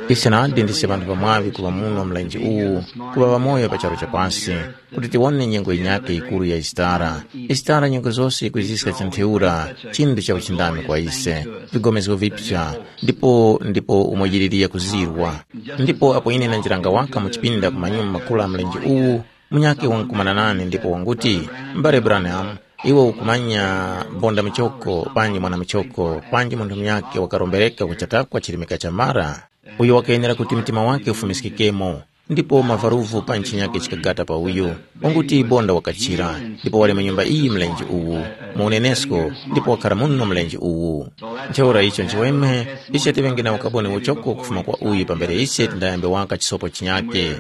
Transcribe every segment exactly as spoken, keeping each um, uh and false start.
Ise nadi ndise ŵanthu ŵamwaŵi kuŵa muno mlenje uwu, kuŵa ŵamoyo pa charu cha pasi, kuti tiwone nyengo yinyakhe yikuru ya Isitara. Isitara nyengo zose yikwiziska cha ntheura, chinthu cha uchindami kwa ise, vigomezgo vipya, ndipo ndipo umo yiliri yakuzirwa. Ndipo apo ine nanjiranga waka mu chipinda ku manyuma makulu a mlenje uwu, munyakhe wankukumana nane ndipo wanguti, mbale Branham, iwe ukumanya bonda muchoko panji mwana muchoko panji munthu munyakhe wakarombereka ku chatakwa chirimika cha mara, uyo wakayenera kuti mtima wake ufumiskikemo, ndipo mavaruvu pa ntchinyake chikagata pa uyu, wanguti bonda wakachira, ndipo wali mu nyumba iyi mlenje uwu, mu unenesko, ndipo wakhara muno mlenje uwu. Ntheura icho nchiweme, ise tiŵenge na ukaboni uchoko kufuma kwa uyu pambere ise tindayambe waka chisopo chinyake.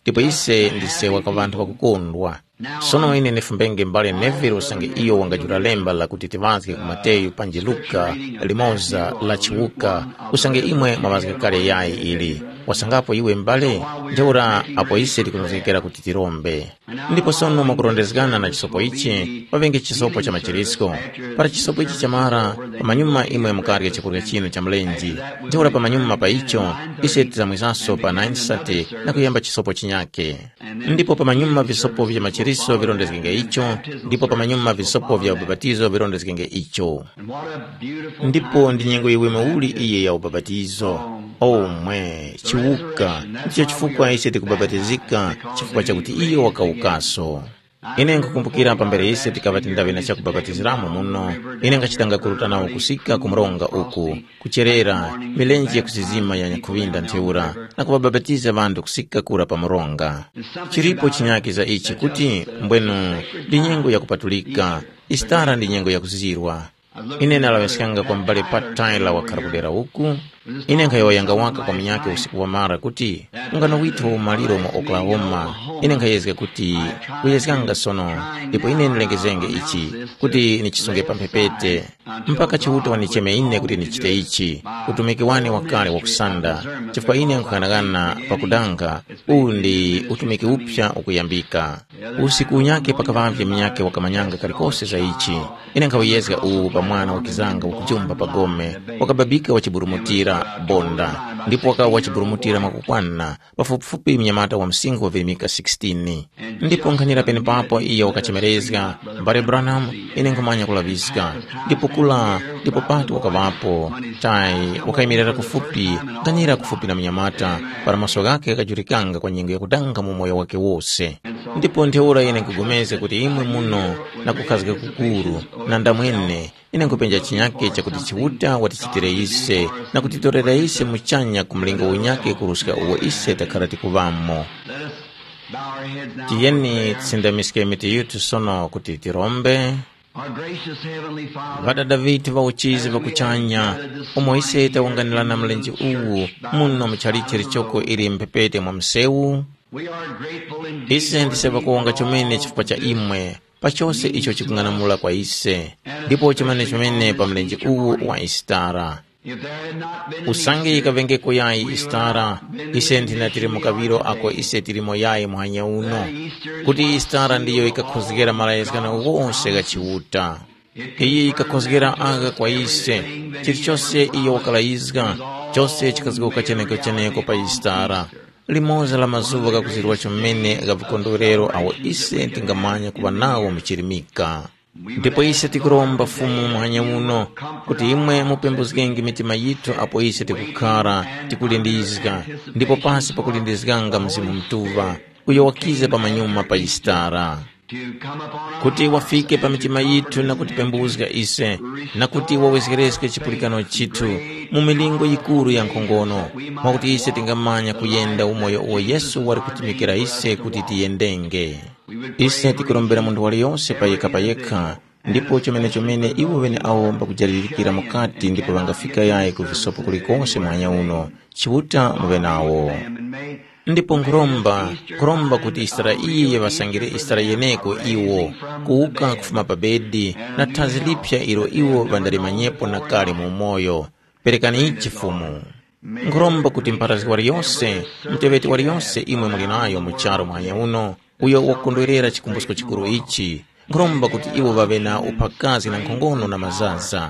Ndipo ise ndise waka ŵanthu ŵakukondwa. Sono ine ndifumbenge mbale Neville usange iyo wangajula lemba lakuti tiŵazge ku Mateyu panji Luka limoza la chiwuka, usange imwe mwaŵazga kale yayi ili. Wasangapo iwe mbale? Ntheura apo ise tikunozgekera kuti tirombe. Ndipo sono mwakurondezgana na chisopo ichi, paŵenge chisopo cha machirisko. Para chisopo ichi chamara, pamanyuma imwe mukarya chakurya chinu cha mlenje. Ntheura pamanyuma pa icho, ise tizamwizaso pa nine thirty na kuyamba chisopo chinyake. Ndipo pamanyuma visopo vya machiriso virondezgenge icho, ndipo pamanyuma visopo vya ubapatizo virondezgenge icho. Ndipo ndi nyengo yiweme uli iyi ya ubapatizo. Omwe, chiwuka, ndicho chifukwa ise tikubapatizika, chifukwa chakuti iyo wakawukaso. Ine nkhukumbukira pambere ise tikaŵa tindaŵe na chakubapatiziramo muno, ine nkhachitanga kuruta nawo kusika ku mronga uku, kucherera, milenje yakusizima ya nyakhuŵinda ntheura, na kuŵabapatiza ŵanthu kusika kura pa mronga. Chilipo chinyake za ichi kuti, mbwenu, ndi nyengo yakupatulika, Isitara ndi nyengo yakuzirwa. Ine ndalaŵiskanga kwa m'bale Pat Tyler wakhara kudera uku. Ine nkhayowoyanga waka kwa munyakhe usiku wamara kuti, ungano withu wa umaliro mu Oklahoma. Ine nkhayezga kuti kuyezganga sono, ndipo ine ndilengezenge ichi, kuti nichisunge pa mphepete, mpaka Chiuta wanicheme ine kuti ndichite ichi, utumiki wane wakale wakusanda, chifukwa ine nkhughanaghana pakudanga, uwu ndi utumiki uphya ukuyambika. Usiku unyakhe pakaŵavye munyakhe wakamanyanga kalikose za ichi. Ine nkhawuyezga uwu pa mwana wakizanga wakujumba pa gome, wakababika wachiburumutira bonda, ndipo wakaŵa wachiburumutira mwakukwana, pafupifupi mnyamata wa msinkhu wa virimika sixteen. Ndipo nkhanira penepapo iyo wakachemerezga, mbale Branham, ine nkhumanya kulaŵiska. Ndipo kula, ndipo pati wakaŵapo, tayi, wakayimirira kufupi, nkhanira kufupi na mnyamata, para maso ghakhe ghakajulikanga kwa nyengo yakudanga mu moyo wakhe wose. Ndipo ntheura ine nkhugomezga kuti imwe muno na kukhazga kukuru, na ndamwene, ine nkhupenja chinyake chakuti Chiuta watichitire ise na kutitorera ise muchanya ku mlingo unyakhe kuruska uwo ise takhara tikuŵamo. Let us bow our heads now for Tiyeni prayer. Tisindamiske mitu yithu sono kuti tirombe. Our gracious Heavenly Father, Ŵadada vithu va uchizi vakuchanya, umo ise tawunganirana mlenje uwu muno mu chalichi lichoko ili mphepete mwa msewu, we are grateful indeed ise for ndise these vakuwonga chomene chifukwa cha imwe, pa chose icho chikung'anamula kwa ise, ndipo chomene chomene pa mlenje uwu wa Isitara. If there had not been an Usange Easter, yikavengeko yayi Isitara, ise ndinatili mu kaŵiro ako ise tilimo yayi muhanya uno, kuti Isitara ndiyo yikakhozgera malayizgano ghose gha Chiuta. Iyi yikakhozgera agha kwa ise, chilichose iyo wakalayizga, chose chikazgoka cheneko-cheneko pa Isitara, limoza la mazuŵa ghakuzirwa chomene gha vikondwerero awo ise tingamanya kuŵa nawo mu chirimika. Ndipo ise tikuromba Fumu muhanya uno, kuti imwe mupembuzgenge mitima yithu apo ise tikukhara, tikulindizga, ndipo pasi pakulindizganga Mzimu Mutuŵa, uyo wakiza pamanyuma pa Isitara, kuti wafike pa mitima yithu na kutipembuzga ise, na kuti wawezgereske chipulikano chithu mu milingo yikuru ya nkhongono, mwakuti ise tingamanya kuyenda umoyo uwo Yesu wali kutumikira ise kuti tiyendenge. Ise tikurombera munthu waliyose payekha-payekha, ndipo chomene-chomene iwo ŵeneawo mbakujalirikira mukati ndipo ŵangafika yayi ku visopo kulikose muhanya uno, Chiuta muŵe nawo. Ndipo nkhuromba, nkhuromba kuti Isitara iyi yiŵasangire Isitara yeneko iwo, kuwuka kufuma pa bedi na thazi liphya ilo iwo ŵandalimanyepo na kale mu umoyo. Perekani ichi Fumu. Nkhuromba kuti mpharazgi waliyose, muteŵeti waliyose imwe muli nayo mu charu muhanya uno, uyo wakukondwerera chikumbusko chikuru ichi, Nkhuromba kuti iwo ŵaŵe na uphakazi na nkhongono na mazaza,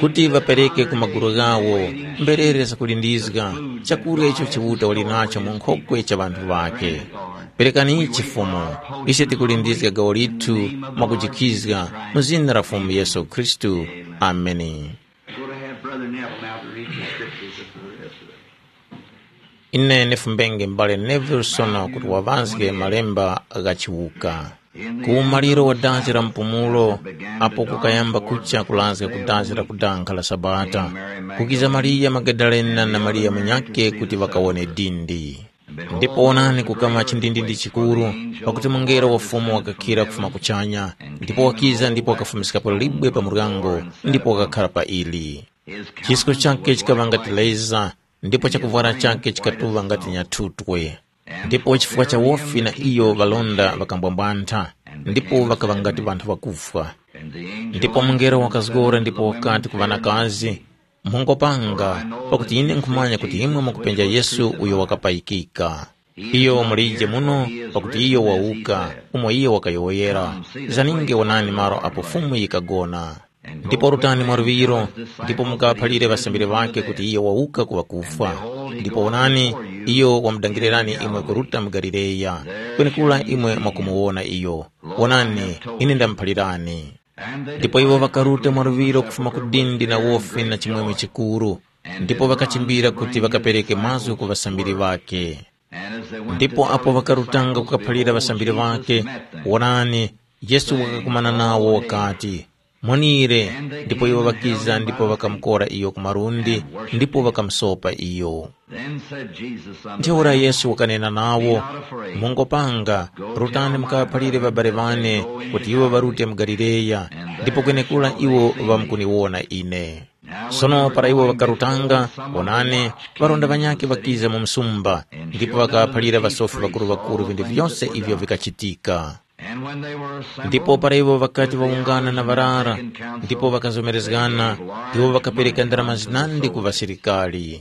kuti ŵapereke ku magulu ghawo mberere zakulindizga, chakurya icho Chiuta wali nacho mu nkhokwe cha ŵanthu ŵakhe. Perekani ichi Fumu, ise tikulindizga gawo lithu mwakujikhizga mu zina la Fumu Yesu Khristu. Ameni. Go to have Brother Neville now to read the scriptures for the rest of it. Ine nifumbenge m'bale Neville sono kuti waŵazge malemba gha chiwuka. Ku umaliro wa dazi la mpumulo, apo kukayamba kucha kulazga ku dazi la kudankha la Sabata, kukiza Mariya Magadalena na Mariya munyakhe kuti ŵakawone dindi. Ndipo wonani, kukama chindindindi chikuru, pakuti mungelo wa Fumu wakakhira kufuma kuchanya, ndipo wakiza ndipo wakafumiskapo libwe pa muryango, ndipo wakakhara pa ili. Chisko chakhe chikaŵa ngati leza, ndipo chakuvwara chakhe chikatuŵa ngati nyathutwe. Ndipo chifukwa cha wofi na iyo ŵalonda ŵakambwambwantha, ndipo ŵakaŵa ngati ŵanthu ŵakufwa. Ndipo mungelo wakazgora ndipo wakati ku ŵanakazi, mungopanga, pakuti ine nkhumanya kuti imwe mukupenja Yesu uyo wakapayikika. Iyo mulije muno, pakuti iyo wawuka, umo iyo wakayowoyera. Zaninge wonani malo apo Fumu yikagona. Ndipo rutani mwaluŵiro, ndipo mukaŵaphalire ŵasambiri ŵakhe kuti iyo wawuka ku ŵakufwa. Ndipo wonani, iyo wamudangirani imwe kuruta mu Galileya, kwenekura imwe mwakumuwona iyo. Wonani, ine ndamuphalirani. Ndipo iwo ŵakaruta mwaluŵiro kufuma ku dindi na wofi na chimwemwe chikuru, ndipo ŵakachimbira kuti ŵakapereke mazgu ku ŵasambiri ŵakhe. Ndipo apo ŵakarutanga kukaphalira ŵasambiri ŵakhe, wonani, Yesu wakakumana nawo wakati, “Monire.” Ndipo iwo ŵakiza ndipo ŵakamukora iyo ku malundi, ndipo ŵakamusopa iyo. Then said Jesus unto Ntheura them, Yesu wakanena nawo, "Be not afraid. Mungopanga, rutani mukaŵaphalire ŵabale ŵane kuti iwo ŵarute mu Galileya, ndipo kwenekura iwo ŵamkuniwona ine." Sono para iwo ŵakarutanga, wonani, ŵarunda ŵanyakhe ŵakiza mu msumba, ndipo ŵakaŵaphalira ŵasofi ŵakuru-ŵakuru vinthu vyose ivyo vikachitika. Ndipo para iwo ŵakati ŵawungana na ŵarara, ndipo ŵakazomerezgana, iwo ŵakapereka ndarama zinandi ku ŵasilikari,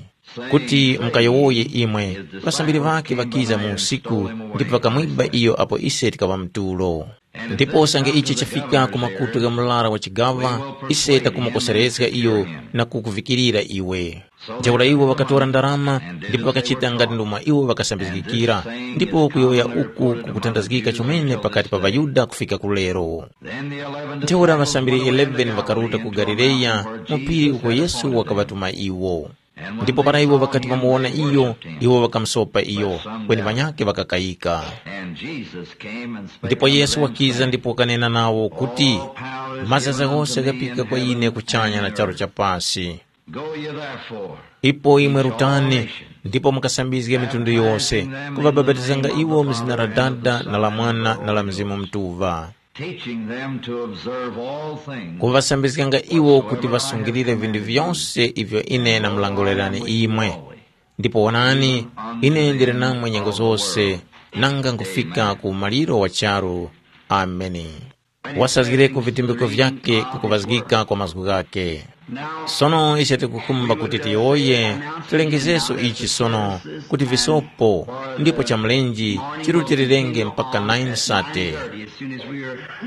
kuti mukayowoye imwe, ŵasambiri ŵakhe ŵakiza mu usiku, ndipo ŵakamwiba iyo apo ise tikaŵa mu tulo. Ndipo usange ichi chafika ku makutu gha murara wa chigaŵa, ise takumukoserezga iyo na kukuvikirira iwe. Ntheura iwo ŵakatora ndarama, ndipo ŵakachita ngati ndomwe iwo ŵakasambizgikira, ndipo kuyowoya uku kukuthandazgika chomene pakati pa ŵaYuda kufika ku lero. Ntheura ŵasambiri eleven ŵakaruta ku Galileya, mu phiri uko Yesu wakaŵatuma iwo. Ndipo para iwo ŵakati ŵamuwona iyo, iwo ŵakamusopa iyo, kweni ŵanyakhe ŵakakayika. Ndipo Yesu wakiza ndipo wakanena nawo kuti, "Mazaza ghose ghapika kwa ine kuchanya na charu cha pasi. Go ye therefore, ipo imwe rutani, ndipo mukasambizge mitundu yose, kuŵabapatizanga iwo mu zina la Dada na la Mwana na la Mzimu Mutuŵa, teaching them to observe all things, kuŵasambizganga iwo kuti ŵasungilire vinthu vyose ivyo ine namulangulirani imwe. Ndipo wonani, ine ndili namwe nyengo zose, nanga nkufika ku maliro wa charu." Ameni. Wasazgireko vitumbiko vyakhe kukuŵazgika kwa mazgu ghakhe. Sono ise tikukhumba kuti tiyowoye, tilengezeso ichi sono, kuti visopo, ndipo cha mlenje chirutirirenge mpaka nine sate.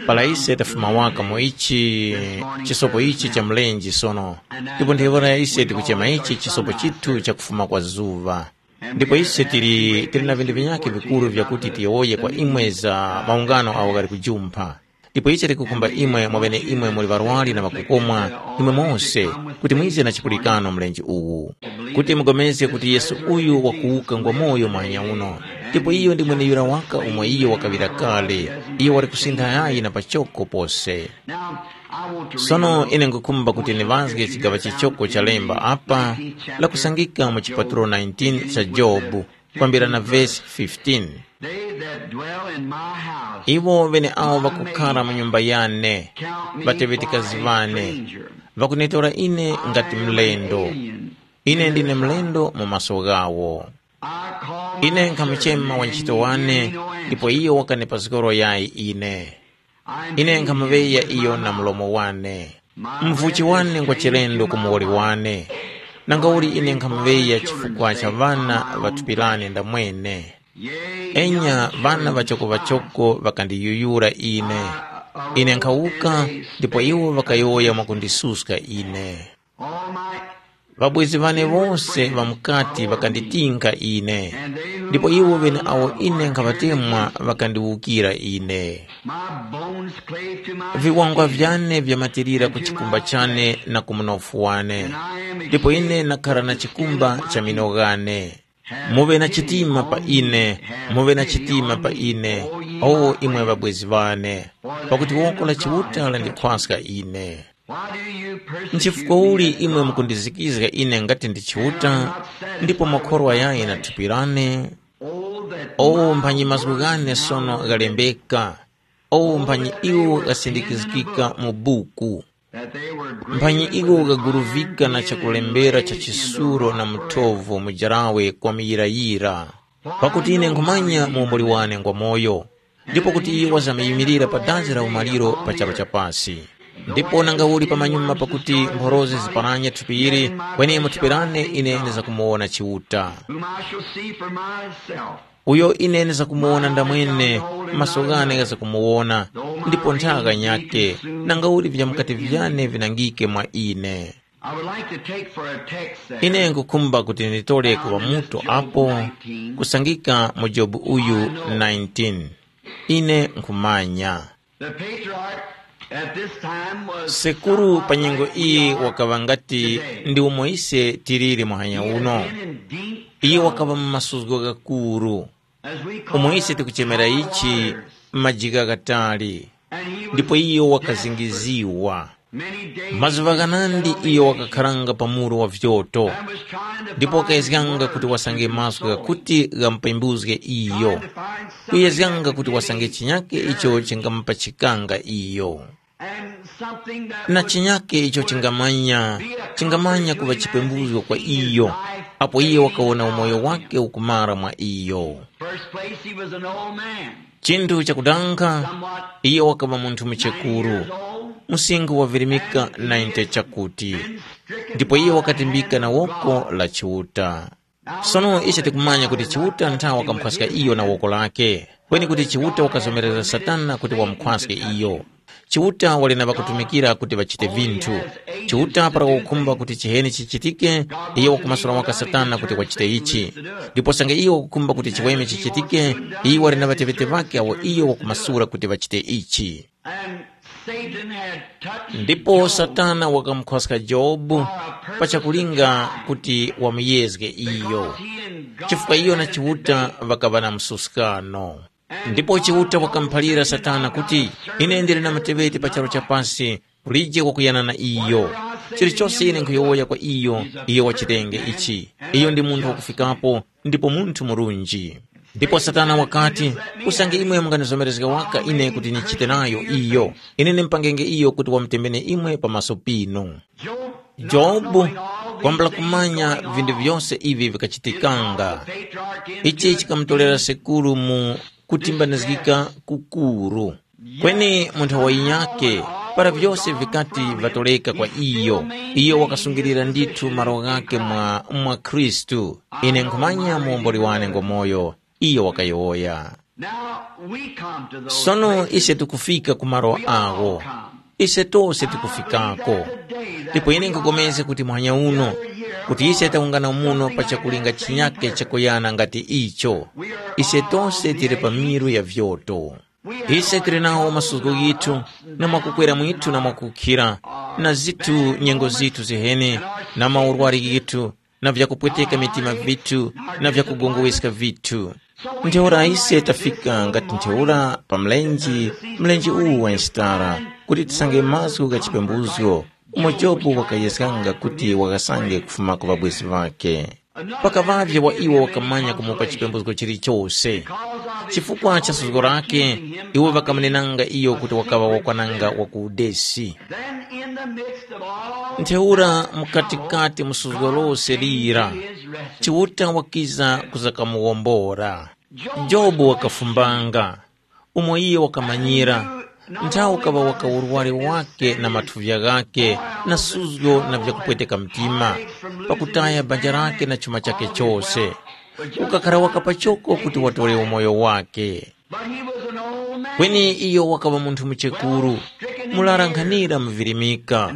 Para ise tafuma waka mu ichi chisopo ichi cha mlenje sono, ndipo ntheura ise tikuchema ichi chisopo chithu cha kufuma kwa zuŵa. Ndipo ise tili, tili na vinthu vinyakhe vikuru vyakuti tiyowoye kwa imwe za maungano agho ghali kujumpha. Ndipo icho tikukhumba imwe mwaŵeneimwe muli ŵarwari na ŵakukomwa, imwe mose, kuti mwize na chipulikano mlenje uwu, kuti mupulikane kuti Yesu uyu wakuwuka ngwamoyo muhanya uno, ndipo iyo ndi mweneyura waka umo iyo wakaŵira kale, iyo wali kusintha yayi na pachoko pose. Sono ine nkhukhumba kuti ndiŵazge chigaŵa chichoko cha lemba apa, lakusangika mu chipatulo nineteen cha Jobu, kwambira na vesi fifteen. They that dwell in my house, iwo ŵeneawo ŵakukhara mu nyumba yane, ŵateŵetikazi ŵane, ŵakunitora ine ngati mlendo. Ine ndine mlendo mu maso ghawo. I call ine nkhamuchema wantchito wane, ndipo iyo wakanipa zgoro yayi ine. Ine nkhamuŵeya iyo na mlomo wane. Mvuchi wane ngwa chilendo ku muwoli wane. Nangauli ine nkhamuŵeya chifukwa cha ŵana ŵa thupi lane ndamwene. Enya, ŵana ŵachokoŵachoko ŵakandiyuyura ine. Ine nkhawuka, ndipo iwo ŵakayowoya mwakundisuska ine. Ŵabwezi ŵane wose ŵamukati ŵakanditinka ine, ndipo iwo ŵeneawo ine nkhaŵatemwa ŵakandiwukira ine. My bones clave to my Viwangwa skin, vyane vyamatirira ku chikumba chane na ku mnofu wane, ndipo ine nakhala na chikumba cha mino ghane. Muŵe na chitima pa ine, muŵe na chitima pa ine, o imwe ŵabwezi ŵane, pakuti woko la Chiuta landikhwaska ine. Nchifukwa uli imwe mukundizikizga ine ngati ndi Chiuta, ndipo makhorwa yayi na thupi lane? O mphanyi mazgu ghane sono ghalembeka, o mphanyi iwo ghasindikizgika mu buku. Mphanyi iwo ghaguruvika na chakulembera cha chisuro na muthovu mujarawe kwa muyirayira. Pakuti ine nkhumanya muomboli wane ngwamoyo, ndipo kuti iyo wazamyimilira pa dazi la umaliro pa charu cha pasi. Ndipo nanga uli pamanyuma pakuti mphorozi ziparanye thupi ili, kweni mu thupi lane ine ndizakumuwona Chiuta. Whom I shall see for myself. Uyo ine ndizakumuwona ndamwene, maso ghane ghazakumuwona, ndipo nthaka nyake, nanga uli vyamukati vyane vinangike mwa ine. I would like to take for a text there. Ine nkukhumba kuti nditole kuŵa mutu apo, kusangika mu Jobu uyu nineteen. Ine nkhumanya. The patriarch at this time was Sekuru pa nyengo iyi wakaŵa ngati ndi umo ise tiliri muhanya uno. Iye wakaŵa mu masuzgo ghakuru, umo ise tikuchemera ichi majika ghatali, ndipo iyo wakazingiziwa. Mazuŵa ghanandi iyo wakakharanga pa muru wa vyoto, ndipo wakayezganga kuti wasange mazgu ghakuti ghamupembuzge iyo, kuyezganga kuti wasange chinyake icho chingamupachikanga iyo, na chinyake icho chingamanya chingamanya kuŵa chipembuzgo kwa iyo, apo iye wakawona umoyo wake ukumara mwa iyo. First place, he was an old man. Chinthu chakudanga, iye wakaŵa munthu muchekuru, msinkhu wavirimika ninety chakuti, ndipo iye wakatimbika na woko la Chiuta. Sono ise tikumanya kuti Chiuta nthawe wakamukhwaska iyo na woko lake, kweni kuti Chiuta wakazomerezga Satana kuti wamukhwaske iyo. Chiuta wali na ŵakutumikira kuti ŵachite vinthu. Chiuta para wakukhumba kuti chiheni chichitike, iyo wakumasula waka Satana kuti wachite ichi. Ndipo sange iyo wakukhumba kuti chiweme chichitike, iyo wali na ŵateŵeti ŵakhe awo iyo wakumasula kuti ŵachite ichi. And Satan had touched Ndipo Job Satana wakamukhwaska Jobu for a purpose pa chakulinga of trying, kuti wamuyezge iyo, because he and God chifukwa iyo na had a Chiuta debate. Ŵakaŵa na msuskano. Ndipo Chiuta wakamuphalira Satana kuti, ine ndili na muteŵeti pa charu cha pasi, ulije wakuyana na iyo. Chilichose ine nkhuyowoya kwa iyo, iyo wachitenge ichi. Iyo ndi munthu wakufikapo, ndipo munthu murunji. Ndipo Satana wakati, usange imwe munganizomerezga waka ine kuti nichite nayo iyo, ine nimpangenge iyo kuti wamutemene imwe pamaso pinu. Jobu wambula kumanya vinthu vyose ivi vikachitikanga. Ichi chikamutolera sekuru mu kutimbanizgika kukuru. Kweni mu nthawi yinyakhe, para vyose vikati vatoleka kwa iyo, iyo wakasungilira ndithu malo ghakhe mwa, mwa Khristu. Ine nkhumanya muomboli wane ngwamoyo, iyo wakayowoya. Now we come to those Sono places. Ise tikufika ku malo awo. Ise tose tikufikako. Ndipo ine nkukomeza kuti muhanya uno, kuti ise tawungana muno pa chakulinga chinyakhe chakuyana ngati icho. Ise tose tili pa miru ya vyoto. Ise tili nawo masuzgo ghithu, na mwakukwera mwithu na mwakukhira, na zithu nyengo zithu ziheni, na maurwari ghithu, na vyakupweteka mitima vithu, na vyakugongoweska vithu. Ntheura ise tafika ngati ntheura pa mlenje, mlenje uwu wa nsitara, kuti tisange mazgu gha chipembuzgo, umo Jobu wakayeskanga kuti wakasange kufuma ku ŵabwezi ŵakhe. Pakaŵavye wa iwo wakamanya kumupa chipembuzgo chilichose. Chifukwa cha suzgo lake, iwo ŵakamunenanga iyo kuti wakaŵa wakwananga wa ku udesi. Then in the midst of all Ntheura mukatikati mu suzgo lose lira, Chiuta wakiza kuzakamuwombora. Jobu wakafumbanga, umo iye wakamanyira, nthawi ukaŵa waka urwari wake na mathuvya ghake na suzgo na vyakupweteka mtima, pakutaya banja lake na chuma chake chose. Ukakhara waka pachoko kuti watore umoyo wake. But he was an old Kweni iyo wakaŵa munthu muchekuru, murara nkhanira muvirimika,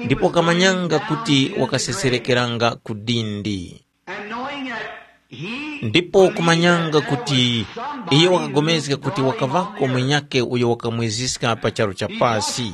ndipo kamanyanga kuti wakaseserekeranga ku dindi. Ndipo kumanyanga kuti iyo wakapulikana kuti wakaŵako mwenyakhe uyo wakamweziska pa charu cha pasi.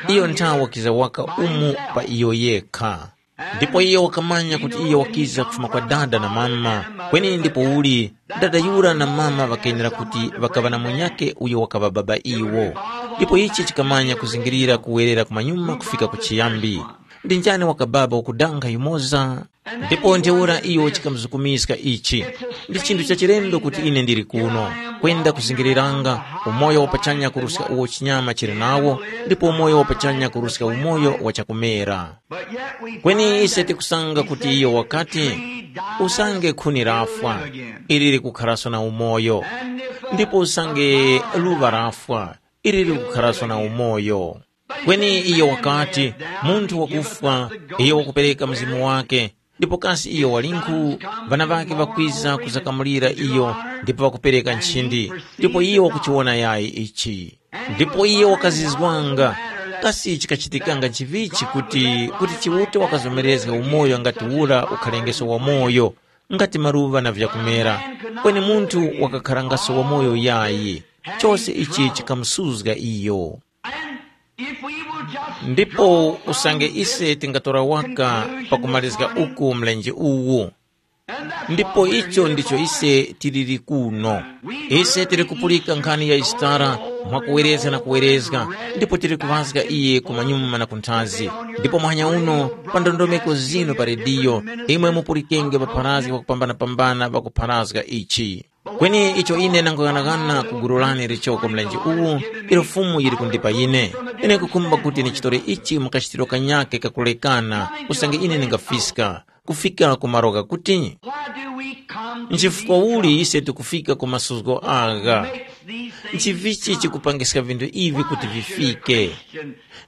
Iyo nthawe wakiza waka umu pa iyo yekha. Ndipo iyo wakamanya kuti iyo wakiza kufuma kwa dada na mama, kweni ndipouli dada yura na mama ŵakenera kuti ŵakaŵa na munyakhe uyo wakaŵa baba iwo. Ndipo ichi chikamanya kuzingirira kuwerera kumanyuma kufika ku chiyambi. Ndi njani wakababa wakudanga yumoza? Ndipo ntheura iyo chikamuzukumiska ichi. Ndi chinthu cha chilendo kuti ine ndili kuno, kwenda kuzingiriranga umoyo wapachanya kuruska uwo chinyama chili nawo, ndipo umoyo wapachanya kuruska umoyo wa chakumera. Kweni ise tikusanga kuti iyo wakati, usange khuni lafwa, ili likukharaso na umoyo, ndipo usange luŵa lafwa, ili likukharaso na umoyo. Kweni iyo wakati, munthu wakufwa, iyo wakupereka mzimu wake, ndipo kasi iyo walinkhu? Ŵana ŵake ŵakwiza kuzakamulira iyo, ndipo ŵakupereka nchindi, ndipo iyo wakuchiwona yayi ichi. Ndipo iyo wakazizwanga, kasi chikachitikanga nchivichi kuti kuti Chiuta wakazomerezga umoyo ngati ura ukhalengeso wamoyo, ngati maluŵa na vyakumera, kweni munthu wakakharangaso wamoyo yayi, chose ichi chikamusuzga iyo. Ndipo usange ise tingatora waka pakumalizga uku mlenje uwu, ndipo icho ndicho ise tiliri kuno. Ise tili kupulika nkhani ya Yisitara mwakuwerezga na kuwerezga, ndipo tili kuŵazga iye kumanyuma na kunthazi. Ndipo muhanya uno, pa ndondomeko zinu pa rediyo, imwe mupulikenge ŵapharazgi ŵakupambana-pambana ŵakupharazga ichi. Kweni icho ine nanguyanaghana ku gulu lane lichoko mlenje uwu, ilo Fumu yili kundipa ine. Ine nkukhumba kuti ndichitore ichi mu kachitiro kanyakhe kakulekana, usange ine ndingafiska, kufika ku malo ghakuti. Nchifukwa uli ise tikufika ku masuzgo agha? Nchivichi chikupangiska vinthu ivi kuti vifike?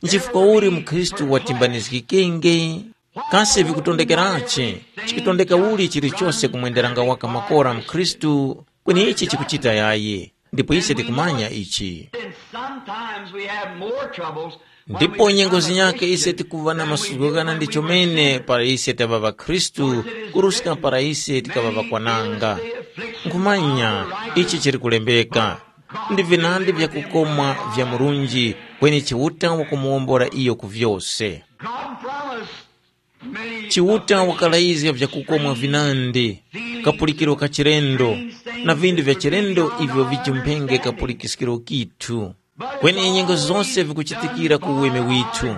Nchifukwa uli mukhristu watimbanizgikenge? Kasi vikutondekerachi? Chikutondeka uli chilichose kumwenderanga waka makora mkhristu? Kweni ichi chikuchita yayi, ndipo ise tikumanya ichi. Then sometimes we have more troubles when we ndipo nyengo become a zinyake ise Christian tikuva na than we masuko do ghana when ndi we chomene weren't. Para ise tava ŵakhristu kuruska para ise tikava ŵakwananga. Nkhumanya ichi chili kulembeka, ndi vinandi vyakukomwa vya murunji, kweni Chiuta wakumuwombora iyo ku vyose. God promised many Chiuta wakalayizga vyakukomwa vinandi, kapulikiro ka chilendo, na vindu vya chilendo ivyo viji mphenge kapulikiskiro kithu. Kweni nyengo zose vikuchitikira ku uweme withu.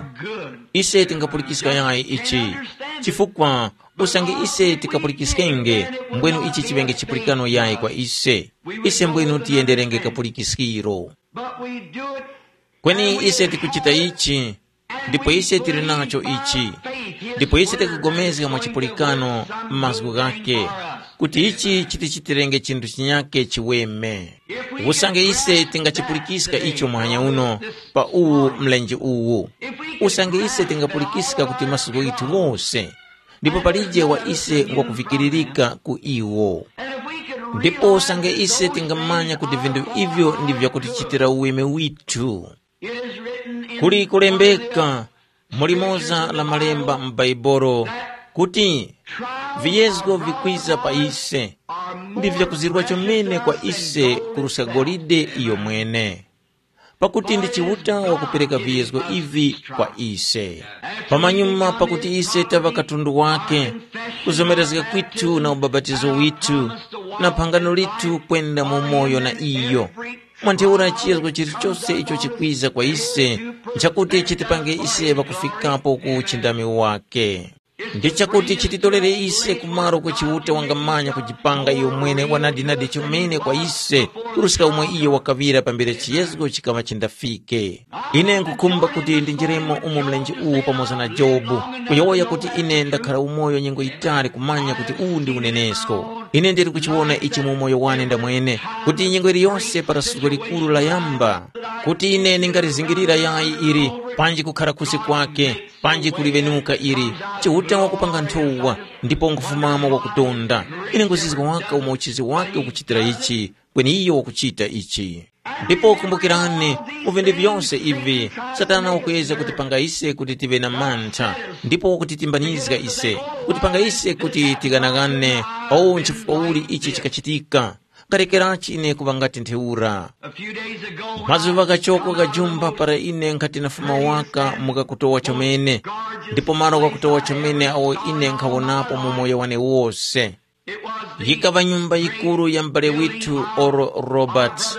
Ise tingapulikiska yayi ichi, chifukwa usange ise tikapulikiskenge, mbwenu ichi chiŵenge chipulikano yayi kwa ise. Ise mbwenu tiyenderenge kapulikiskiro. But we do it. Kweni ise tikuchita ichi, ndipo ise tili nacho ichi, ndipo ise tikupulikana mwa chipulikano m'mazgu ghakhe, kuti ichi chitichitirenge chinthu chinyakhe chiweme. Usange ise tingachipulikiska icho muhanya uno, pa uwu mlenje uwu, usange ise tingapulikiska kuti masiku ghithu ghose, ndipo palije wa ise ngwakuvikiririka ku iwo. Ndipo usange ise tingamanya kuti vinthu ivyo ndi vyakutichitira uweme withu. Kuli kulembeka mu limoza la malemba mu Baibolo kuti, viyezgo vikwiza pa ise, ndi vyakuzirwa chomene kwa ise kuruska golide iyo mwene. Pakuti ndi Chiuta wakupereka viyezgo ivi kwa ise. Pamanyuma pakuti ise taŵa katundu wake, kuzomerezga kwithu na ubapatizo withu, na phangano lithu kwenda mu moyo na iyo. Mwa ntheura chiyezgo chilichose icho chikwiza kwa ise, nchakuti chitipange ise ŵakufikapo ku uchindami wake. Ndi chakuti chititolere ise kumaro ku Chiuta wangamanya kujipanga iyo mwene wanadinadi chomene kwa ise, kuruska umo iyo wakaŵira pambere chiyezgo chikaŵa chindafike. Ine nkukhumba kuti ndinjiremo umo mlenje uwu pamoza na Jobu, kuyowoya kuti ine ndakhara umoyo nyengo yitali kumanya kuti uwu ndi unenesko. Ine ndili kuchiwona ichi mu umoyo wane ndamwene, kuti nyengo iliyonse para suzgo likuru layamba, kuti ine ndingalizingirira yayi ili, panji kukhara kusi kwake, panji kuliŵenuka ili, Chiuta wakupanga nthowa, ndipo nkufumamo wakutonda. Ine nguzizwa waka umo uchizi wake ukuchitira ichi, kweni iyo wakuchita ichi. Ndipo kumbukirani, mu vinthu vyose ivi, Satana wakuyezga kutipanga ise kuti tive na mantha, ndipo wakutitimbanizga ise, kutipanga ise kuti tighanagane. O, nchifukwa uli ichi chikachitika? Karekerachi ine kuŵa ngati ntheura. A few days ago, when I Mazuŵa ghachoko ghajumba para ine nkhati nafuma waka mu kakutowa chomene, ndipo malo ghakutowa chomene awo ine nkhawonapo mu moyo wane wose. Yikaŵa nyumba yikuru ya m'bale withu Oral Roberts.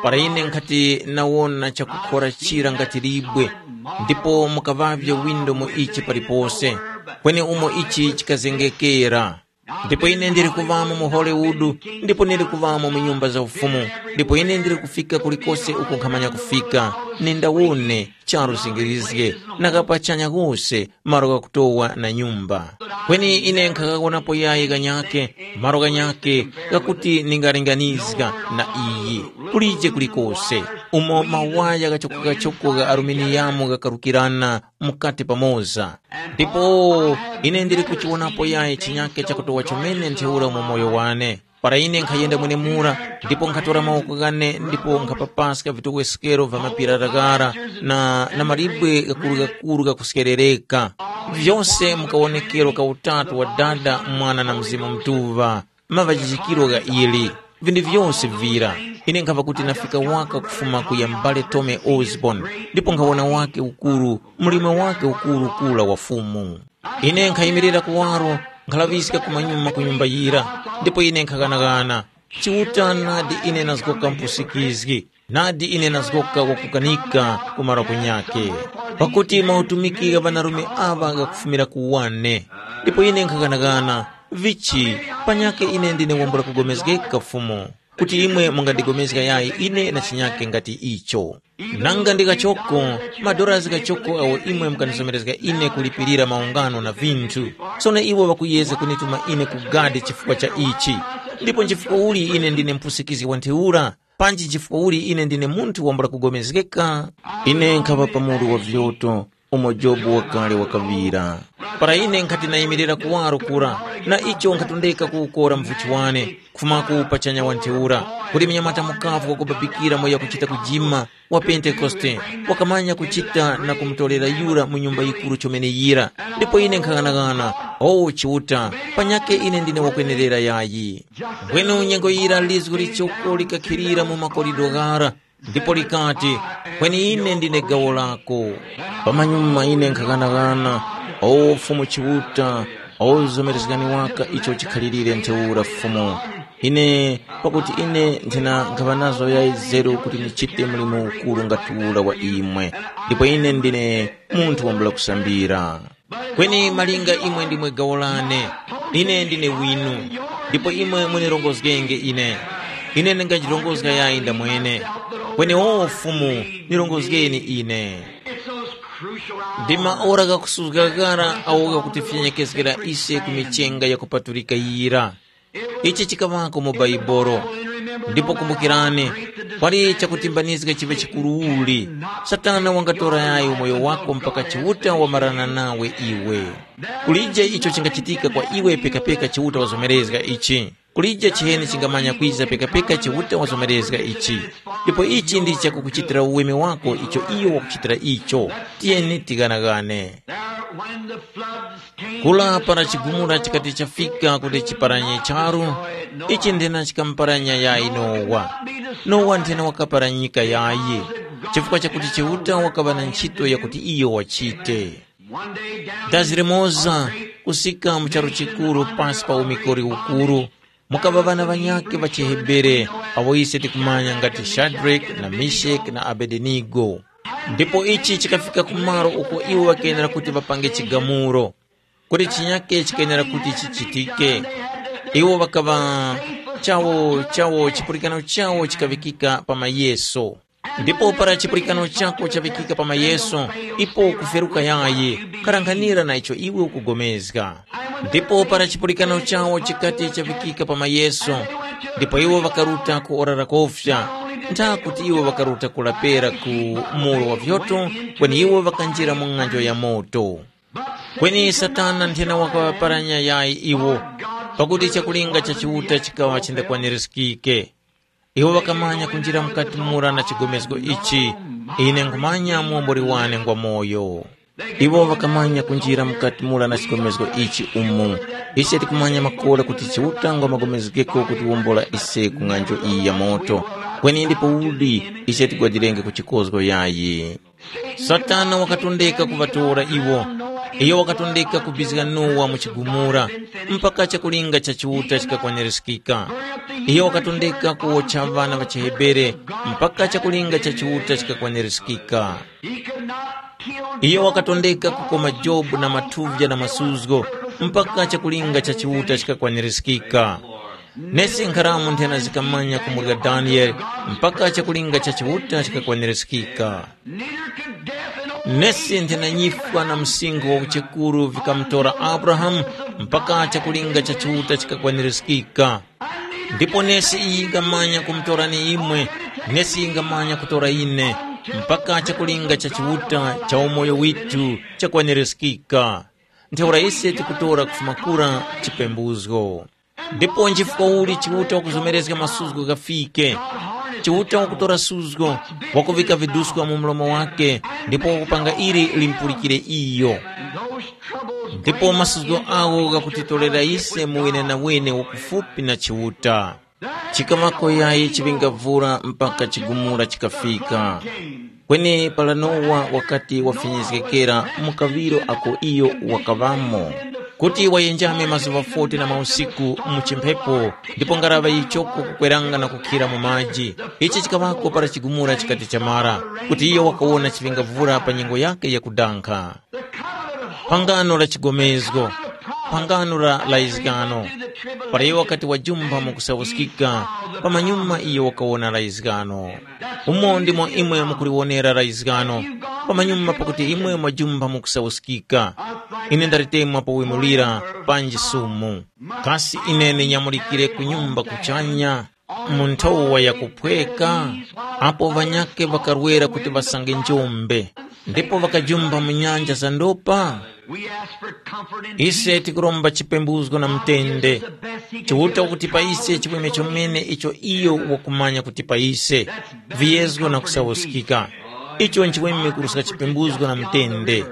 Para ine nkhati nawona chakukhora chira ngati libwe, ndipo mukaŵavye windo mu ichi palipose, kweni umo ichi chikazengekera. Ndipo ine ndili kuŵamo mu Hollywood, ndipo ndili kuŵamo mu nyumba za ufumu, ndipo ine ndili kufika kulikose uko nkhamanya kufika, nindawone charu zingirizge, na kapachanya kose malo ghakutowa na nyumba. Kweni ine nkhaghawonapo yayi ghanyakhe, malo ghanyakhe ghakuti ndingalinganizga na iyi. Kulije kulikose umo mawaya ghachokogachoko gha aluminiyamu ghakarukirana mukati pamoza. Ndipo ine ndili kuchiwonapo yayi chinyakhe chakutowa chomene ntheura mu moyo wane. Para ine nkhayenda mwenemura, ndipo nkhatora mawoko ghane ndipo nkhapapaska vitoweskero va mapira ghara na, na malibwe ghakurughakuru ghakuskerereka, vyose mu kawonekero ka Utatu wa Dada, Mwana na Mzimu Mutuŵa, maŵajijikiro gha ili, vinthu vyose vira. Ine nkhava kuti nafika waka kufuma ku ya m'bale Tome Osborne, ndipo nkhawona wake ukuru, mlimo wake ukuru kura wa Fumu. Ine nkhayimirira kuwaro, nkhalaŵiska kumanyuma ku nyumba yira, ndipo ine nkhaghanagana. Chiuta, nadi ine nazgoka mpusikizgi, nadi ine nazgoka wakukanika ku malo kunyakhe. Pakuti mautumiki gha ŵanarume aŵa ghakufumira ku wane. Ndipo ine nkhaghanaghana, vichi, panyakhe ine ndine wambula kugomezgeka Fumu, kuti imwe mungandigomezga yayi ine na chinyakhe ngati icho. Nanga ndi ghachoko, madorazi ghachoko awo imwe mukandizomerezga ine kulipirira maungano na vinthu. Sono iwo ŵakuyezga kunituma ine ku gadi chifukwa cha ichi. Ndipo nchifukwa uli ine ndine mpusikizgi wa ntheura? Panji nchifukwa uli ine ndine munthu wambula kugomezgeka? Ine nkhaŵa pa mulu wa vyoto, umo Jobu wakale wakaŵira. Para ine nkhati nayimirira kuwaro kura, na icho nkhatondeka kuwukora mvuchi wane, kufumako pachanya wa ntheura, kuti munyamata mukavu wakubabikira mwa yakuchita kujima, wa Pentekoste, wakamanya kuchita na kumutorera yura mu nyumba yikuru chomene yira. Ndipo ine nkhaghanagana, o Chiuta, panyakhe ine ndine wakwenerera yayi. Mbwenu nyengo yira lizgu lichoko likakhilira mu makorido ghara, ndipo likati, kweni ine ndine gawo lako. Pamanyuma ine nkhaghanagana, o Fumu Chiuta, o zomerezgani waka icho chikhalirire ntheura Fumu. Ine, pakuti ine nthena nkhaŵa nazo yayi zeru kuti ndichite mlimo ukuru ngati ura wa imwe, ndipo ine ndine munthu wambula kusambira. Kweni malinga imwe ndimwe gawo lane, ine ndine winu, ndipo imwe munirongozgenge ine. Ine ndingajirongozga yayi ndamwene. Kweni o Fumu, nirongozgeni ine. Ndi maora ghakusuzga ghara awo ghakutifyenyekezgera ise ku michenga yakupatulika yira. Ichi chikaŵako mu Baibolo. Ndipo kumbukirani, pali chakutimbanizga chiŵe chikuru uli. Satana wangatora yayi umoyo wako mpaka Chiuta wamarana nawe iwe. Kulije icho chingachitika kwa iwe pekapeka Chiuta wazomerezga ichi. Kulije chiheni chingamanya kwiza pekapeka Chiuta wazomerezga ichi. Ndipo ichi ndi chakukuchitira uweme wako icho iyo wakuchitira icho. Tiyeni tighanagane. There, when the floods came Kula para chigumula chikati chafika kuti chiparanye charu, ichi nthena chikamuparanya yayi Nowa. Nowa nthena wakaparanyika yayi, chifukwa chakuti Chiuta wakaŵa na ntchito yakuti iyo wachite. One day down Dazi limoza, kusika mu charu chikuru pasi pa umikori ukuru, mukaŵa ŵana ŵanyakhe ŵa chiHebere, awo ise tikumanya ngati Shadrake na Meshake na Abedenigo. Ndipo ichi chikafika kumalo uko iwo ŵakenera kuti ŵapange chigamulo, kuti chinyakhe chikenera kuti chichitike. Iwo ŵakaŵa chawo chawo chipulikano chawo chikaŵikika pa mayeso. Ndipo para chipulikano chako chaŵikika pa mayeso, ipo kuferuka yayi, kharanghanira na icho iwe ukugomezga. Ndipo para chipulikano chawo chikati chaŵikika pa mayeso, ndipo iwo ŵakaruta ku ora la kofya, ntha kuti iwo ŵakaruta kulapera ku muro wa vyoto, kweni iwo ŵakanjira mu ng'anjo ya moto. Kweni Satana nthena wakaŵaparanya yayi iwo, pakuti chakulinga cha Chiuta chikaŵa chindakwanirizgike. Iwo ŵakamanya kunjira mukati mura na chigomezgo ichi, ine nkhumanya muwomboli wane ngwamoyo. Iwo ŵakamanya kunjira mukati mura na chigomezgo ichi umu. Ise tikumanya makora kuti Chiuta ngwa magomezgeko kutiwombola ise ku ng'anjo iyi ya moto. Kweni ndipo uli ise tigwadilenge ku chikozgo yayi. Satana wakatondeka kuŵatora iwo. Iyo wakatondeka kubizga Nowa mu chigumura, mpaka chakulinga cha Chiuta chikakwanirizgika. Iyo wakatondeka kuwotcha ŵana ŵa chiHebere, mpaka chakulinga cha Chiuta chikakwanirizgika. Iyo wakatondeka kukoma Jobu na mathuvya na masuzgo, mpaka chakulinga cha Chiuta chikakwanirizgika. Nesi nkharamu nthena zikamanya kumurya Daniele, mpaka chakulinga cha Chiuta chikakwanirizgika. Nesi nthena nyifwa na msinkhu wa uchekuru vikamutora Abrahamu, mpaka chakulinga cha Chiuta chikakwanirizgika. Ndipo nesi iyi yingamanya kumutorani imwe, nesi yingamanya kutora ine, mpaka chakulinga cha Chiuta cha umoyo witu chakwanirizgika. Ntheura ise tikutora kufuma kura chipembuzgo. Ndipo nchifukwa uli Chiuta wakuzomerezga masuzgo ghafike? Chiuta wakutora suzgo, wakuŵika viduska mu mlomo wake, ndipo wakupanga ili limpulikire iyo. Ndipo masuzgo agho ghakutitorera ise mu wenenawene wakufupi na Chiuta. Chikaŵako yayi chiŵingavura mpaka chigumula chikafika. Kweni para Nowa wakati wafinyizgekera mu kaŵiro ako iyo wakaŵamo, kuti wayenjame mazuŵa foti na mausiku mu chimphepo, ndipo ngaraŵa yichoko kukweranga na kukhira mu maji. Ichi chikaŵako para chigumula chikati chamara, kuti iyo wakawona chiŵingavura pa nyengo yake yakudankha. Phangano la chigomezgo, phangano la layizgano. Para iyo wakati wajumpha mu kusawuskika, pamanyuma iyo wakawona layizgano. Umo ndimo imwe mukuliwonera layizgano, pamanyuma pakuti imwe mwajumpha mu kusawuskika. Ine ndalitemwa powemulira panji sumu. Kasi ine ndinyamulikire ku nyumba kuchanya? Mu nthowa yakuphweka, apo ŵanyakhe ŵakarwera kuti ŵasange njombe, ndipo ŵakajumba mu nyanja za ndopa? Ise tikuromba chipembuzgo na mutende. Chiuta wakutipa ise chimwemwe chomene icho iyo wakumanya kutipa ise, viyezgo na kusawuskika. Icho nchimwemwe kuruska chipembuzgo na mutende.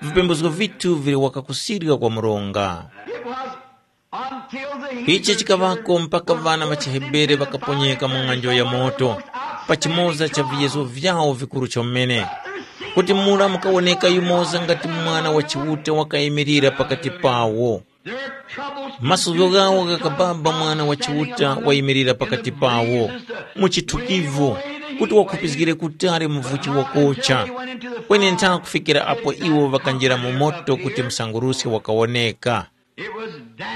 Vipembuzgo vithu vili wakakusirika kwa mronga. Ichi chikaŵako mpaka ŵana ŵa chiHebere ŵakaponyeka mu ng'anjo ya moto, pa chimoza cha viyezo vyawo vikuru chomene, kuti mura mukawoneka yumoza ngati Mwana wa Chiuta wakayimirira pakati pawo. Masuzgo ghawo ghakababa Mwana wa Chiuta wayimirira pakati pawo, mu chithukivu, kuti wakhupizgire kutali muvuchi wakocha. Kweni ntha kufikira apo iwo ŵakanjira mu moto kuti msanguruske wakawoneka.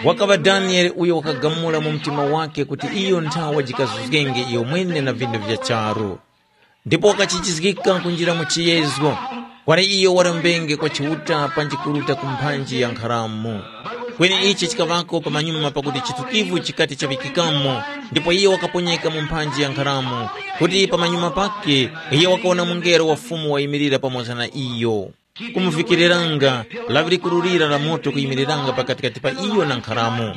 Wakaŵa Daniele uyo wakagamula mu mtima wake kuti iyo nthawa jikazuzgenge iyo mwene na vindu vya charu. Ndipo wakachijizgika kunjira mu chiyezgo, kwali iyo warembenge kwa Chiuta panji kuruta ku mphanji ya nkharamu. Kweni ichi chikaŵako pamanyuma pakuti chitukivu chikati chaŵikikamo, ndipo iyo wakaponyeka mu mphanji ya nkharamu, kuti pamanyuma pake iyo wakawona mungelo wa Fumu wayimirira pamoza na iyo. Kumuvikiriranga lawi likuru lira la moto kuyimiriranga pakatikati pa iyo na nkharamu.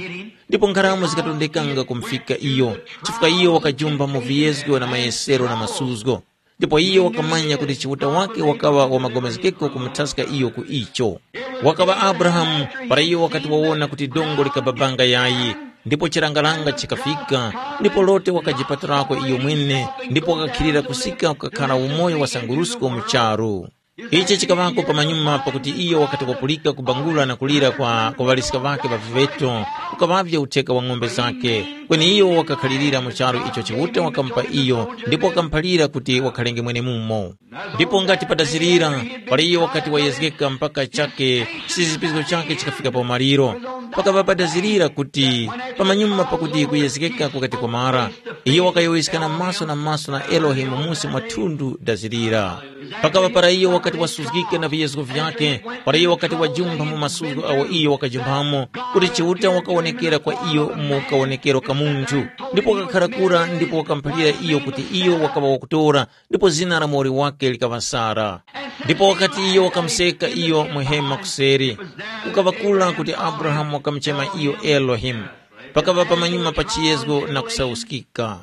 Ndipo nkharamu zikatondekanga kumufika iyo, chifukwa iyo wakajumba mu viyezgo na mayesero na masuzgo. Ndipo iyo wakamanya kuti Chiuta wake wakaŵa wamagomezgeko kumuthaska iyo ku icho. Wakaŵa Abrahamu para iyo wakati wawona kuti dongo likababanga yayi, ndipo chirangaranga chikafika, ndipo Lote wakajipaturako iyo mwene, ndipo wakakhilira kusika kukakhara umoyo wa sangurusko mu charu. Ichi chikaŵako pamanyuma pakuti iyo wakati wapulika kubangula na kulira kwa kuŵaliska ŵakhe ŵa viŵeto, kukaŵavye utheka wa ng'ombe zakhe. Kweni iyo wakakhalirira mu charu icho Chiuta wakamupa iyo ndipo wakamuphalira kuti wakhalenge mwenemumo. Ndipo ngati padazirira, para iyo wakati wayezgeka mpaka chake, chizipizgo chakhe chikafika pa umaliro. Pakaŵa padazirira kuti pamanyuma pakuti kuyezgeka kukati kwamara, iyo wakayowoyeskana maso na maso na Elohimu musi mwa thundu dazirira. Pakaŵa para iyo wakati wasuzgike na viyezgo vyakhe, para iyo wakati wajumpha mu masuzgo awo iyo wakajumphamo, kuti Chiuta wakawonekera kwa iyo mu kawonekero ka munthu, ndipo wakakhara kura ndipo wakamuphalira iyo kuti iyo wakaŵa wakutora, ndipo zina la muwoli wake likaŵa Sara. Ndipo wakati iyo wakamuseka iyo mu hema kuseri, kukaŵa kura kuti Abrahamu wakamuchema iyo Elohimu. Pakaŵa pamanyuma pa chiyezgo na kusauskika.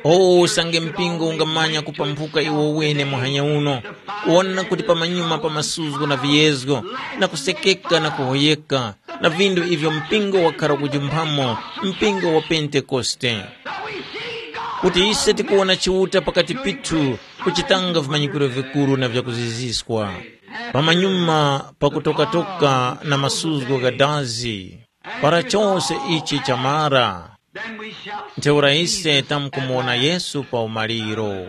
O usange mpingo ungamanya kupambuka iwo wene muhanya uno, kuwona kuti pamanyuma pa masuzgo na viyezgo, na kusekeka na kuhoyeka, na vindu ivyo mpingo wakhara kujumphamo, mpingo wa Pentekoste. Kuti ise tikuwona Chiuta pakati pithu, kuchitanga vimanyikiro vikuru na vyakuziziskwa. Pamanyuma pakutokatoka na masuzgo gha dazi, para chose ichi chamara, ntheura ise tamkumuwona Yesu pa umaliro.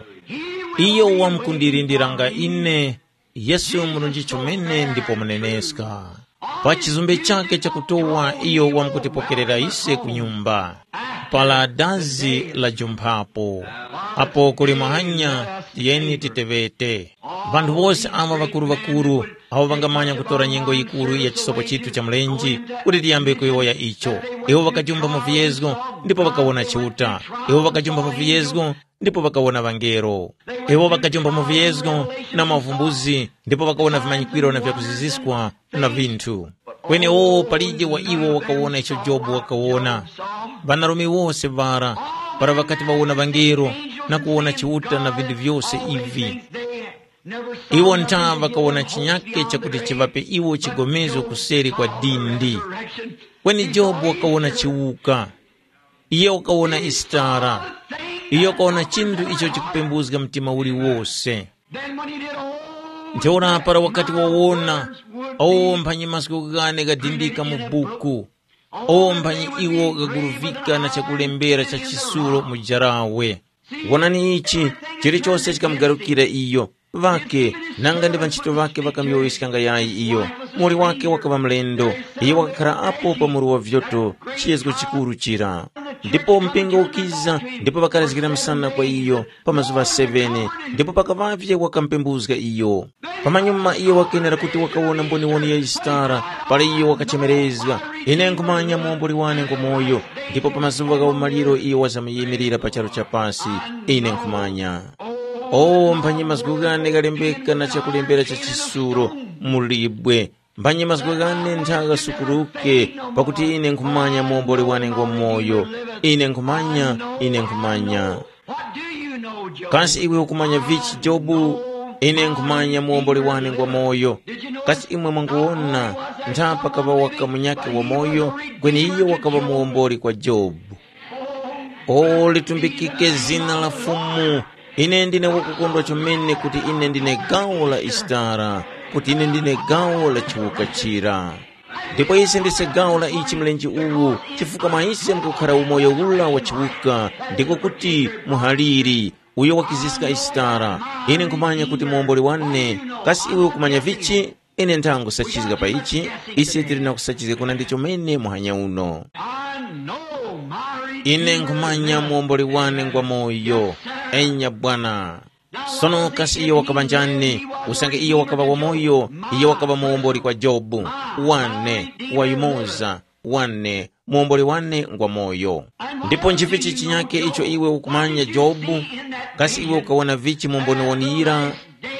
Iyo wamkundilindiranga ine, Yesu murunji chomene ndipo muneneska. Pa chizumbe chakhe chakutowa iyo wamkutipokerera ise ku nyumba. Para dazi lajumphapo. Apo kuli muhanya, tiyeni titeŵete. Vanthu wose awa ŵakuru-ŵakuru, awo ŵangamanya kutora nyengo yikuru ya chisopo chithu cha mlenje, kuti tiyambe kuyowoya icho. Iwo ŵakajumba mu viyezgo, ndipo ŵakawona Chiuta. Iwo ŵakajumba mu viyezgo, ndipo ŵakawona ŵangelo. Iwo ŵakajumba mu viyezgo na mavumbuzi, ndipo ŵakawona vimanyikwiro na vyakuziziskwa na vinthu. Kweni o palije wa iwo wakawona icho Jobu wakawona. Ŵanarume wose ŵara, para ŵakati ŵawona ŵangelo na kuwona Chiuta na vinthu vyose ivi, iwo ntha ŵakawona chinyake chakuti chiŵape iwo chigomezgo kuseri kwa dindi. Kweni Jobu wakawona chiwuka. Iyo wakawona Isitara. Iyo wakawona chinthu icho chikupembuzga mtima uliwose. Ntheura para wakati wawona, awo mphanyi mazgu ghane ghadindika mu buku, awo mphanyi iwo ghaguruvika na chakulembera cha chisulo mu jarawe. Wonani ichi, chilichose chikamugarukira iyo, ŵake, nanga ndi ŵanchito ŵake ŵakamuyowoyeskanga yayi iyo. Muwoli wake wakaŵa mlendo, iyo wakakhara apo pa muru wa vyoto, chiyezgo chikuru chira. Ndipo mpingo ukiza, ndipo ŵakarazgira msana kwa iyo pa mazuŵa seven, ndipo pakaŵavye wakamupembuzga iyo. Pamanyuma iyo wakenera kuti wakawona mboniwoni ya Yisitara, para iyo wakachemerezga, ine nkhumanya muwomboli wane ngwamoyo, ndipo pa mazuŵa gha umaliro iyo wazamyimirira pa charu cha pasi, ine nkhumanya. O mphanyi mazgu ghane ghalembeka na chakulembera cha chisulo mu libwe, mphanyi mazgu ghane ntha ghasukuruke, pakuti ine nkhumanya muwomboli wane ngwamoyo, ine nkhumanya, ine nkhumanya. Kasi iwe ukumanya vichi Jobu? Ine nkhumanya muwomboli wane ngwamoyo. Kasi imwe mwanguwona ntha pakaŵa waka munyakhe wamoyo, kweni iyo wakaŵa muwomboli kwa Jobu. O litumbikike zina la Fumu. Ine ndine wakukondwa chomene kuti ine ndine gawo la Isitara, kuti ine ndine gawo la chiwuka chira. Ndipo ise ndise gawo la ichi mlenje uwu, chifukwa mwa ise mukukhara umoyo ula wa chiwuka, ndiko kuti muhaliri, uyo wakiziska Isitara. Ine nkhumanya kuti muwomboli wane. Kasi iwe ukumanya vichi? Ine nthangusachizga pa ichi, ise tili na kusachizga kunandi chomene muhanya uno. I know my Ine nkhumanya muwomboli wane ngwa moyo. Enya bwana. Sono kasi iyo wakaŵa njani? Usange iyo wakaŵa wamoyo, iyo wakaŵa muwomboli kwa Jobu. Wane, wayumoza, wane, muwomboli wane ngwa moyo. Ndipo nchivichi chinyake icho iwe ukumanya Jobu? Kasi iwe ukawona vichi mumboniwoni yira?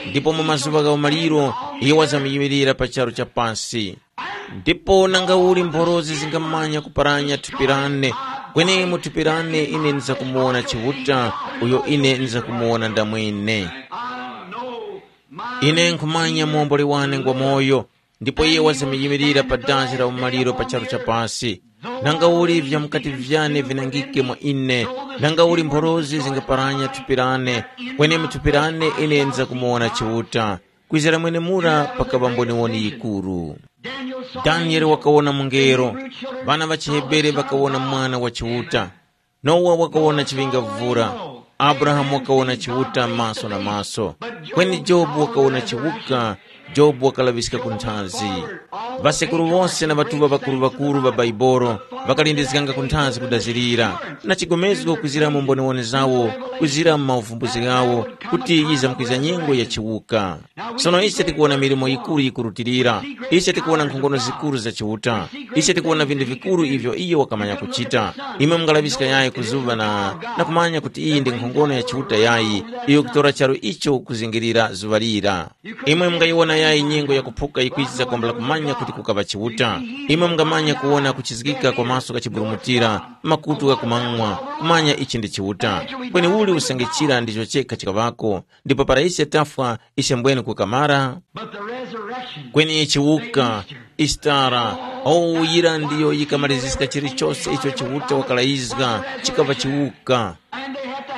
Ndipo mu mazuŵa gha umaliro, iyo wazamyimilira pa charu cha pasi. Ndipo nangauli mphorozi zingamanya kuparanya thupi lane, kweni mu thupi lane ine ndizakumuwona Chiuta, uyo ine ndizakumuwona ndamwene. Ine nkhumanya muomboli wane ngwa moyo, ndipo iye wazamyimilira pa dazi la umaliro pa charu cha pasi. Nangauli vya mukati vyane vinangike mwa ine, nangauli mphorozi zingaparanya thupi lane, kweni mu thupi lane ine ndizakumuwona Chiuta. Kwizira mwenemura pakaŵa mboniwoni yikuru. Daniele wakawona mungelo, ŵana ŵa chiHebere ŵakawona Mwana wa Chiuta, Nowa wakawona chiŵingavura, Abrahamu wakawona Chiuta maso na maso, kweni Jobu wakawona chiwuka. Jobu wakalaŵiska ku nthazi. Ŵasekuru wose na ŵatuŵa ŵakuru-ŵakuru ŵa Baibolo ŵakalindizganga ku nthazi kudazirira, na chigomezgo kwizira mu mboniwoni zawo, kwizira mu mauvumbuzi ghawo, kuti yizamkwiza nyengo ya chiwuka. Sono ise tikuwona milimo yikuru yikurutilira. Ise tikuwona nkhongono zikuru za Chiuta. Ise tikuwona vinthu vikuru ivyo iyo wakamanya kuchita. Imwe mungalaŵiska yayi ku zuŵa na, na kumanya kuti iyi ndi nkhongono ya Chiuta yayi, iyo kutora charu icho kuzingirira zuŵa lira. Imwe mungayiwona Ayi, nyengo yakuphuka yikwiza kwambula kumanya kuti kukaŵa Chiuta. Imwe mungamanya kuwona kuchizgika kwa maso ghachiburumutira, makutu ghakumang'wa, kumanya ichi ndi Chiuta. Kweni uli usange chira ndicho chekha chikaŵako, ndipo para ise tafwa, ise mbwene kukamara? But the resurrection, kweni chiwuka, Easter, Eastara, owu yira ndiyo yikamaliziska chilichose icho Chiuta wakalayizga, chikaŵa chiwuka.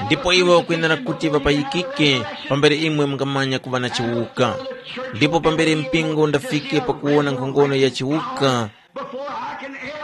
Ndipo iwo wakwenera kuti ŵapayikike pambere imwe mungamanya kuŵa na chiwuka. Ndipo pambere mpingo undafike pakuwona nkhongono ya chiwuka,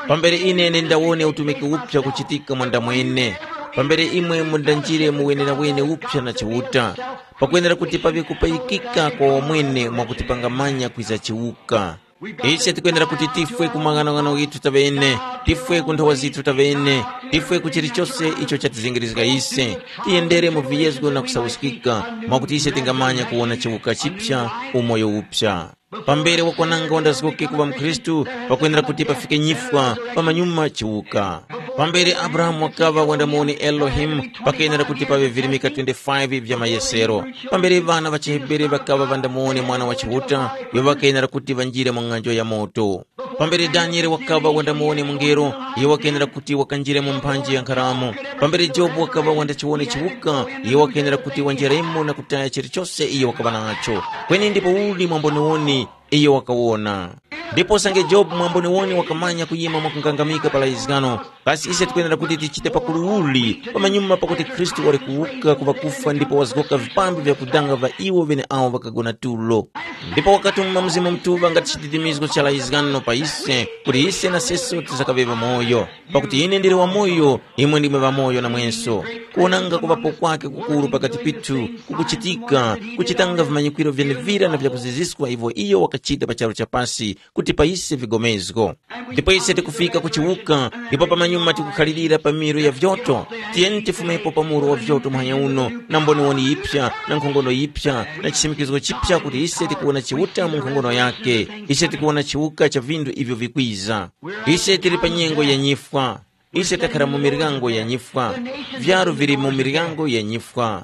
pambere ine ndindawone utumiki upsa kuchitika mwandamwene, pambere imwe mundanjire mu wenewene upsa na Chiuta, pakwenera kuti paŵe kupayikika kwa wamwene mwakutipangamanya kwiza chiwuka. Ise tikwenera kuti tifwe ku maghanoghano ghithu taŵene, tifwe ku nthowa zithu taŵene, tifwe ku chilichose icho chatizengerezga ise, tiyendere mu viyezgo na kusauskika, mwakuti ise tingamanya kuwona chiwuka chipya, umoyo upya. Pambere wakwananga wandazgoke kuŵa mkhristu, pakwenera kuti pafike nyifwa, pamanyuma chiwuka. Pambere Abrahamu wakaŵa wandamoni Elohimu, pakwenera kuti paŵe virimika twenty-five vya mayesero. Pambere ŵana ŵa chiHebere ŵakaŵa ŵandamoni mwana wa Chiuta, iwo ŵakenera kuti ŵanjire mu ng'anjo ya moto. Pambere Daniele wakaŵa wandamoni mungelo, iye wakenera kuti wakanjire mu mphanji ya nkharamu. Pambere Jobu wakaŵa wandachiwone chiwuka, iye wakenera kuti wanjiremo na kutaya chilichose iye wakaŵa nacho. Kweni ndipo uli mwamboniwoni iye wakawona. Ndipo usange Jobu mwamboniwoni wakamanya kuyima mwakungangamika pa layizgano, kasi ise tikwenera kuti tichite pakulu uli pamanyuma pakuti Khristu wali kuwuka ku ŵakufwa ndipo wazgoka vipambi vya kudanga va iwo ŵeneawo ŵakagona tulo? Ndipo wakatuma Mzimu Mutuŵa ngati chititimizgo cha layizgano pa ise, kuti ise na seso tizakaŵe ŵamoyo. Pakuti ine ndili wamoyo, imwe ndimwe ŵamoyo namwenso. Kuwonanga kuŵapo kwake kukuru pakati pithu kukuchitika, kuchitanga vimanyikwiro vyenevira na vyakuziziswa ivyo iyo wakachita pa charu cha pasi kuti pa ise vigomezgo. Ndipo ise tikufika ku chiwuka, ndipo pamanyuma tikukhalirira pa miru ya vyoto. Tiyeni tifumepo pa muru wa vyoto muhanya uno, na mboniwoni yipya, na nkhongono yipya, na chisimikizgo chipya kuti ise tikuwona Chiuta mu nkhongono yake. Ise tikuwona chiwuka cha vinthu ivyo vikwiza. Ise tili pa nyengo ya nyifwa. Ise takhara mu miryango ya nyifwa. Vyaru vili mu miryango ya nyifwa.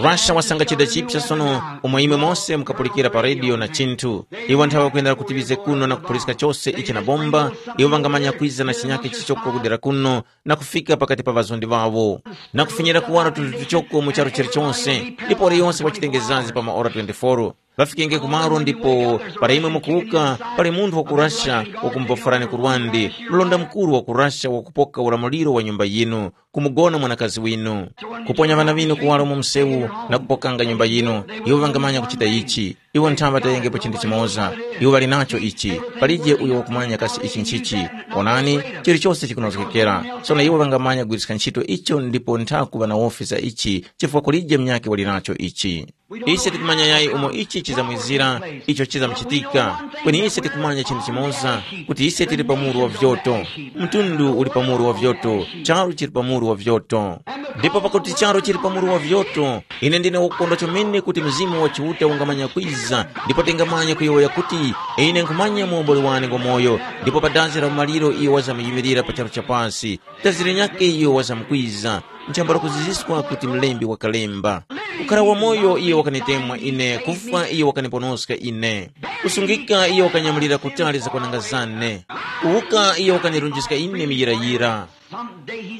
Russia wasanga chida chipsa sono, umo imwe mose mukapulikira pa rediyo na chinthu. Iwo nthawe kuyendera kuti ŵize kuno na kupuliska chose ichi na bomba, iwo ŵangamanya kwiza na chinyake chichoko kudera kuno, na kufika pakati pa ŵazondi ŵawo, na kufinyira kuwaro tunthu tuchoko mu charu chilichonse, ndipo waliyonse wachitengezazi pa maora twenty-four. Ŵafikenge kumalo ndipo para imwe mukuwuka, pali munthu wa ku Russia wakumubofwerani ku lwande, mlonda mukuru wa ku Russia wakupoka ulamuliro wa nyumba yinu, kumugona mwanakazi winu, kuponya ŵana ŵinu kuwaro mu msewu na kupokanga nyumba yinu. Iwo ŵangamanya kuchita ichi. Iwo nthama tayengepo chinthu chimoza. Iwo ŵali nacho ichi. Palije uyo wakumanya kasi ichi nchichi. Onani, chilichose chikunozgekera. Sono iwo ŵangamanya kugwiriska ntchito icho ndipo ntha kuŵa na wofi za ichi, chifukwa kulije munyakhe wali nacho ichi. Ise tikumanya yayi umo ichi chizamwizira, icho chizamuchitika. Kweni ise tikumanya chinthu chimoza, kuti ise tili pa muru wa vyoto. Mtundu uli pa muru wa vyoto, charu chili pa muru wa vyoto. Ndipo pakuti charu chili pa muru wa vyoto, ine ndine wakukondwa chomene kuti Mzimu wa Chiuta ungamanya kwiza, ndipo tingamanya kuyowoya kuti, ine nkhumanya muomboli wane ngwa moyo, ndipo pa dazi la umaliro iyo wazamuyimilira pa charu cha pasi. Dazi linyakhe iyo wazamkwiza, nchambala kuziziswa kuti Mlembi wakalemba. Kukhara wamoyo iyo wakanitemwa ine, kufwa iyo wakaniponoska ine. Kusungika iyo wakanyamulira kutali zakwananga zane. Kuwuka iyo wakanirunjiska ine miyirayira.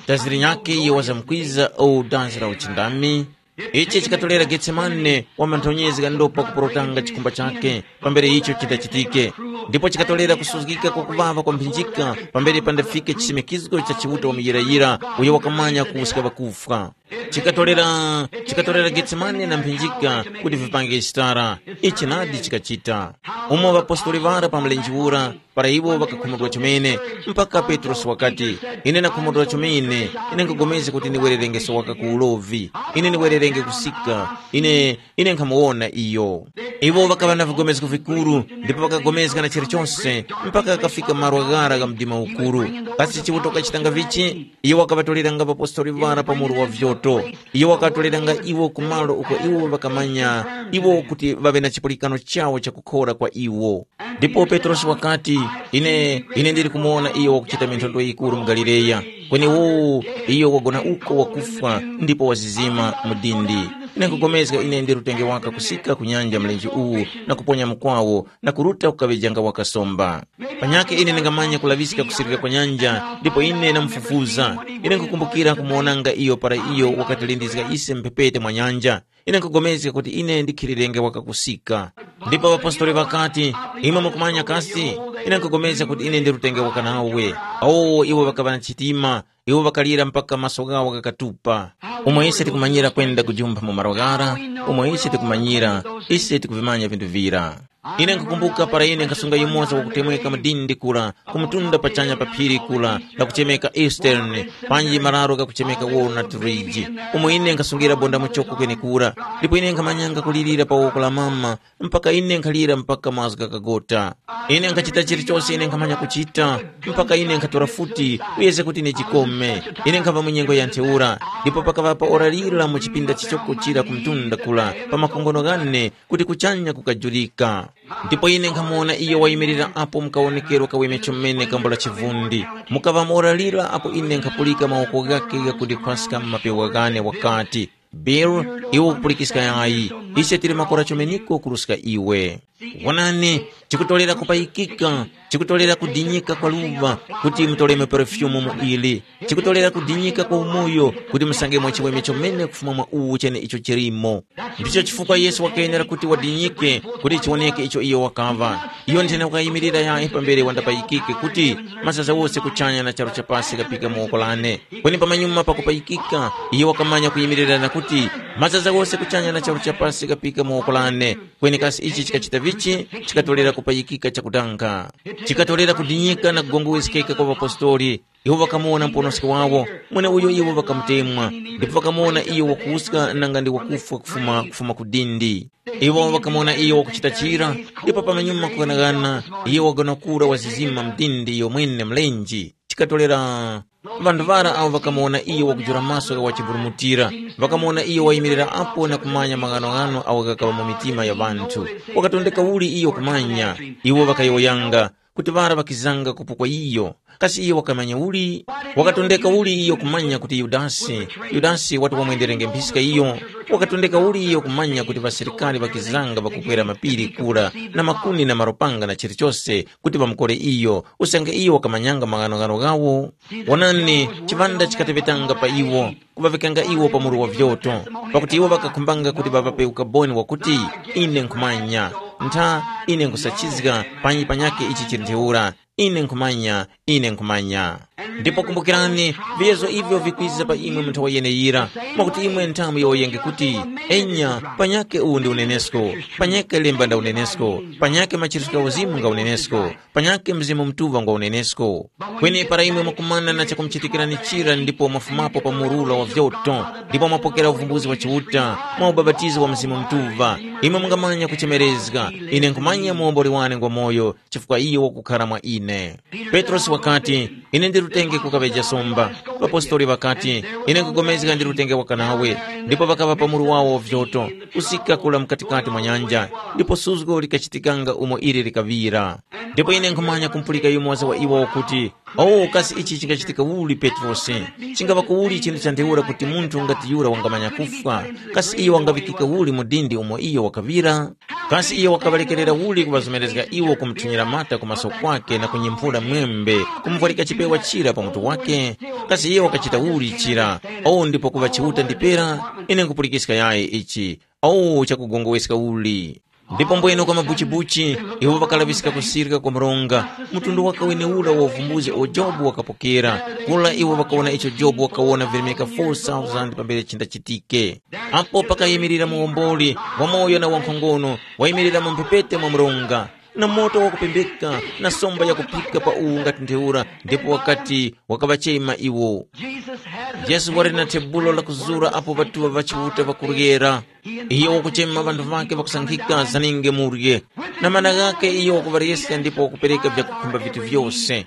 Dazi linyakhe iyo wazamkwiza o dazi la uchindami. Ichi chikatolera Getsemane wamanthonyezga ndopa kuporotanga chikumba chakhe, pambere icho chindachitike. Ndipo chikatolera kusuzgika kwa kuŵaŵa kwa mphinjika pambere pandafike chisimikizgo cha Chiuta wa muyirayira uyo wakamanya kuwuska ŵakufwa. Chikatolera, chikatolera Getsemane na mphinjika kuti vipange chitara. Ichi nadi chikachita. Umo ŵapostoli ŵara pa mlenje ura, para iwo ŵakakhumudwa chomene, mpaka Petrosi wakati, ine ndakhumudwa chomene, ine nkugomezga kuti ndiwererengeso waka ku ulovi, ine ndiwererenge kusika, ine, ine nkhamuwona iyo. Iwo ŵakaŵa na vigomezgo vikuru, ndipo ŵakagomezga na chilichose, mpaka ghakafika malo ghara gha mdima ukuru. Kasi Chiuta wakachitanga vichi? Iyo wakaŵatolera nga ŵapostoli ŵara pa muru wa vyoto. Iyo wakatolera nga iwo ku malo uko iwo ŵakamanya iwo kuti ŵaŵe na chipulikano chawo chakukhora kwa iwo. Ndipo Petrosi wakati, Ine, ine ndili kumuwona iyo wakuchita minthondwe yikuru mu Galileya. Kweni uwu, iyo wagona uko wakufwa ndipo wazizima mu dindi. Ine nkugomezga ine ndi utenge waka kusika ku nyanja mlenje uwu na kuponya mukwawo na kuruta kukaŵejanga waka somba. Panyakhe ine ndingamanya kulaŵiska kusirira kwa nyanja ndipo ine namufufuza. Ine nkukumbukira kumuwonanga iyo para iyo wakatilindizga ise mphepete mwa nyanja. Ine nkugomezga kuti ine ndikhilirenge wakakusika. Ndipo ŵapostoli ŵakati, imwe mukumanya kasi? Ine nkugomezga kuti ine ndi utenge waka nawe. Awo iwo ŵakaŵa na chitima, iwo ŵakalira mpaka maso ghawo ghakatupa. Umo ise tikumanyira kwenda kujumpha mu malo ghara, umo ise tikumanyira, ise tikuvimanya vinthu vira. Ine nkukumbuka para ine nkhasunga yumoza wakutemweka mudindi kura, kumutunda pachanya pa phiri kura, lakuchemeka Eastern, panji mararo ghakuchemeka Walnut Ridge, umo ine nkhasungira bonda muchoko kwenekura, ndipo ine nkhamanyanga kulirira pa woko la mama, mpaka ine nkhalira mpaka mazgu ghakagota. Ine nkhachita chilichose ine nkhamanya kuchita, mpaka ine nkhatora futi, kuyezga kuti ine jikome. Ine nkhava mu nyengo ya ntheura, ndipo pakaŵa pa ora lira mu chipinda chichoko chira kumtunda kura, pa makongono ghane, kuti kuchanya kukajurika. Ndipo ine nkhamuwona iyo wayimirira apo mu kawonekero kaweme chomene kambo la chivundi. Mukaŵa mora lira apo ine nkhapulika mawoko ghakhe ghakundikhwaska mu mapewa ghane wakati, Bill, iwe ukupulikiska yayi, ise tili makora chomeniko kuruska iwe. Wonani, chikutorera kupayikika, chikutorera kudinyika kwa luva kuti mutolemo perfumu mu ili. Chikutorera kudinyika kwa umoyo kuti musangemo chiweme chomene kufuma mwa uwu chene icho chilimo. Ndicho chifukwa Yesu wakayenera kuti wadinyike kuti chiwoneke icho iyo wakaŵa. Iyo nthena wakayimirira yayi pambere wandapayikike kuti mazaza wose kuchanya na charu cha pasi kapika mu woko lane. Kweni pamanyuma pakupayikika, iyo wakamanya kuyimirirana kuti mazaza wose kuchanya na charu cha pasi kapika mu woko lane. Kweni kasi ichi chikachita vichi? Chikatolera kupayikika chakutanga. Chikatolera kudinyika na kugongoweskeka kwa ŵapostoli. Iwo ŵakamuwona muponoski wawo, mweneuyo iwo ŵakamutemwa, ndipo ŵakamuwona iyo wakuwuska nanga ndi wakufwa kufuma, kufuma ku dindi. Iwo ŵakamuwona iyo wakuchita chira, ndipo pamanyuma kughanaghana, iyo wagona kura wazizima mdindi iyo mwene mlenje. Chikatorera ŵanthu ŵara awo ŵakamuwona iyo wakujula maso gha wachiburumutira, ŵakamuwona iyo wayimirira apo na kumanya maghanoghano awo ghakaŵa mu mitima ya ŵanthu. Wakatondeka uli iyo kumanya? Iwo ŵakayowoyanga, kuti ŵara ŵakizanga kupukwa iyo. Kasi iyo wakamanya uli? Wakatondeka uli iyo kumanya kuti Yudasi, Yudasi wati wamwenderenge mphiska iyo? Wakatondeka uli iyo kumanya kuti ŵasilikari ŵakizanga ŵakukwera mapiri kura na makuni na marupanga na chilichose kuti ŵamukore iyo, usange iyo wakamanyanga maghanoghano ghawo? Wonani, chiŵanda chikateŵetanga pa iwo, kuŵaŵikanga iwo pa muru wa vyoto, pakuti iwo ŵakakhumbanga kuti ŵaŵape ukaboni wakuti, ine nkhumanya, ntha, ine nkhusachizga, panyi panyakhe ichi chili ntheura, ine nkhumanya, ine nkhumanya. Ndipo kumbukirani, viyezo ivyo vikwiza pa imwe mu nthawi yeneyira, mwakuti imwe nthamu yowoyenge kuti, enya, panyakhe uwu ndi unenesko, panyakhe lemba nda unenesko, panyakhe machiritso gha uzimu nga unenesko, panyakhe Mzimu Mutuŵa ngwa unenesko. Kweni para imwe mwakumana na chakumuchitikirani chira ndipo mwafumapo pa murura wa vyoto, ndipo mwapokera uvumbuzi wa Chiuta, mwa ubapatizo wa Mzimu Mutuŵa, imwe mungamanya kuchemerezga, ine nkhumanya muwomboli wane ngwa moyo, chifukwa iyo wakukhala mwa ine. Petrosi wakati, ine ndi lutenge kukaŵeja somba. Ŵapostoli ŵakati, ine nkupulikana ndi lutenge waka nawe, ndipo ŵakaŵa pa muru wawo wa vyoto, kusika kula mukatikati mwa nyanja, ndipo suzgo likachitikanga umo ili likaŵira. Ndipo ine nkhumanya kumpulika yumoza wa iwo wakuti, “Oh, kasi ichi chingachitika uli Petrosi? Chingapa kuuli chinthu cha ntheura kuti munthu ngati yura wangamanya kufwa? Kasi iyo wangaŵikika uli mu dindi umo iyo wakaŵira? Kasi iyo wakaŵalekerera uli kuŵazomerezga iwo kumuthunyira mata ku maso kwake na kunyimphura mwembe, kumuvwarika chipewa chira pa mutu wake? Kasi iyo wakachita uli chira? Oh, ndipo kuŵa Chiuta ndi pera? Ine nkhupulikiska yayi ichi. Oh, chakugongoweska uli!” Ndipo mbwene kwa mabuchibuchi, iwo ŵakalaŵiska kusirika kwa mronga, mtundu waka wenewura wa uvumbuzi uwo Jobu wakapokera. Kula iwo ŵakawona icho Jobu wakawona virimika four thousand pambere chindachitike. Apo pakayimirira muwomboli, wamoyo na wankhongono, wayimirira mu mphepete mwa mronga, na moto wakupembeka, na somba yakuphika pa uwu ngati ntheura, ndipo wakati, wakaŵachema iwo. Yesu wali na thebulo lakuzura apo ŵatuŵa ŵa Chiuta ŵakuryera. Iyo wakuchema ŵanthu ŵakhe ŵakusankhika zaninge murye. Na mana ghakhe iyo wakuŵaryesya ndipo wakupereka vyakukhumba vitu vyose.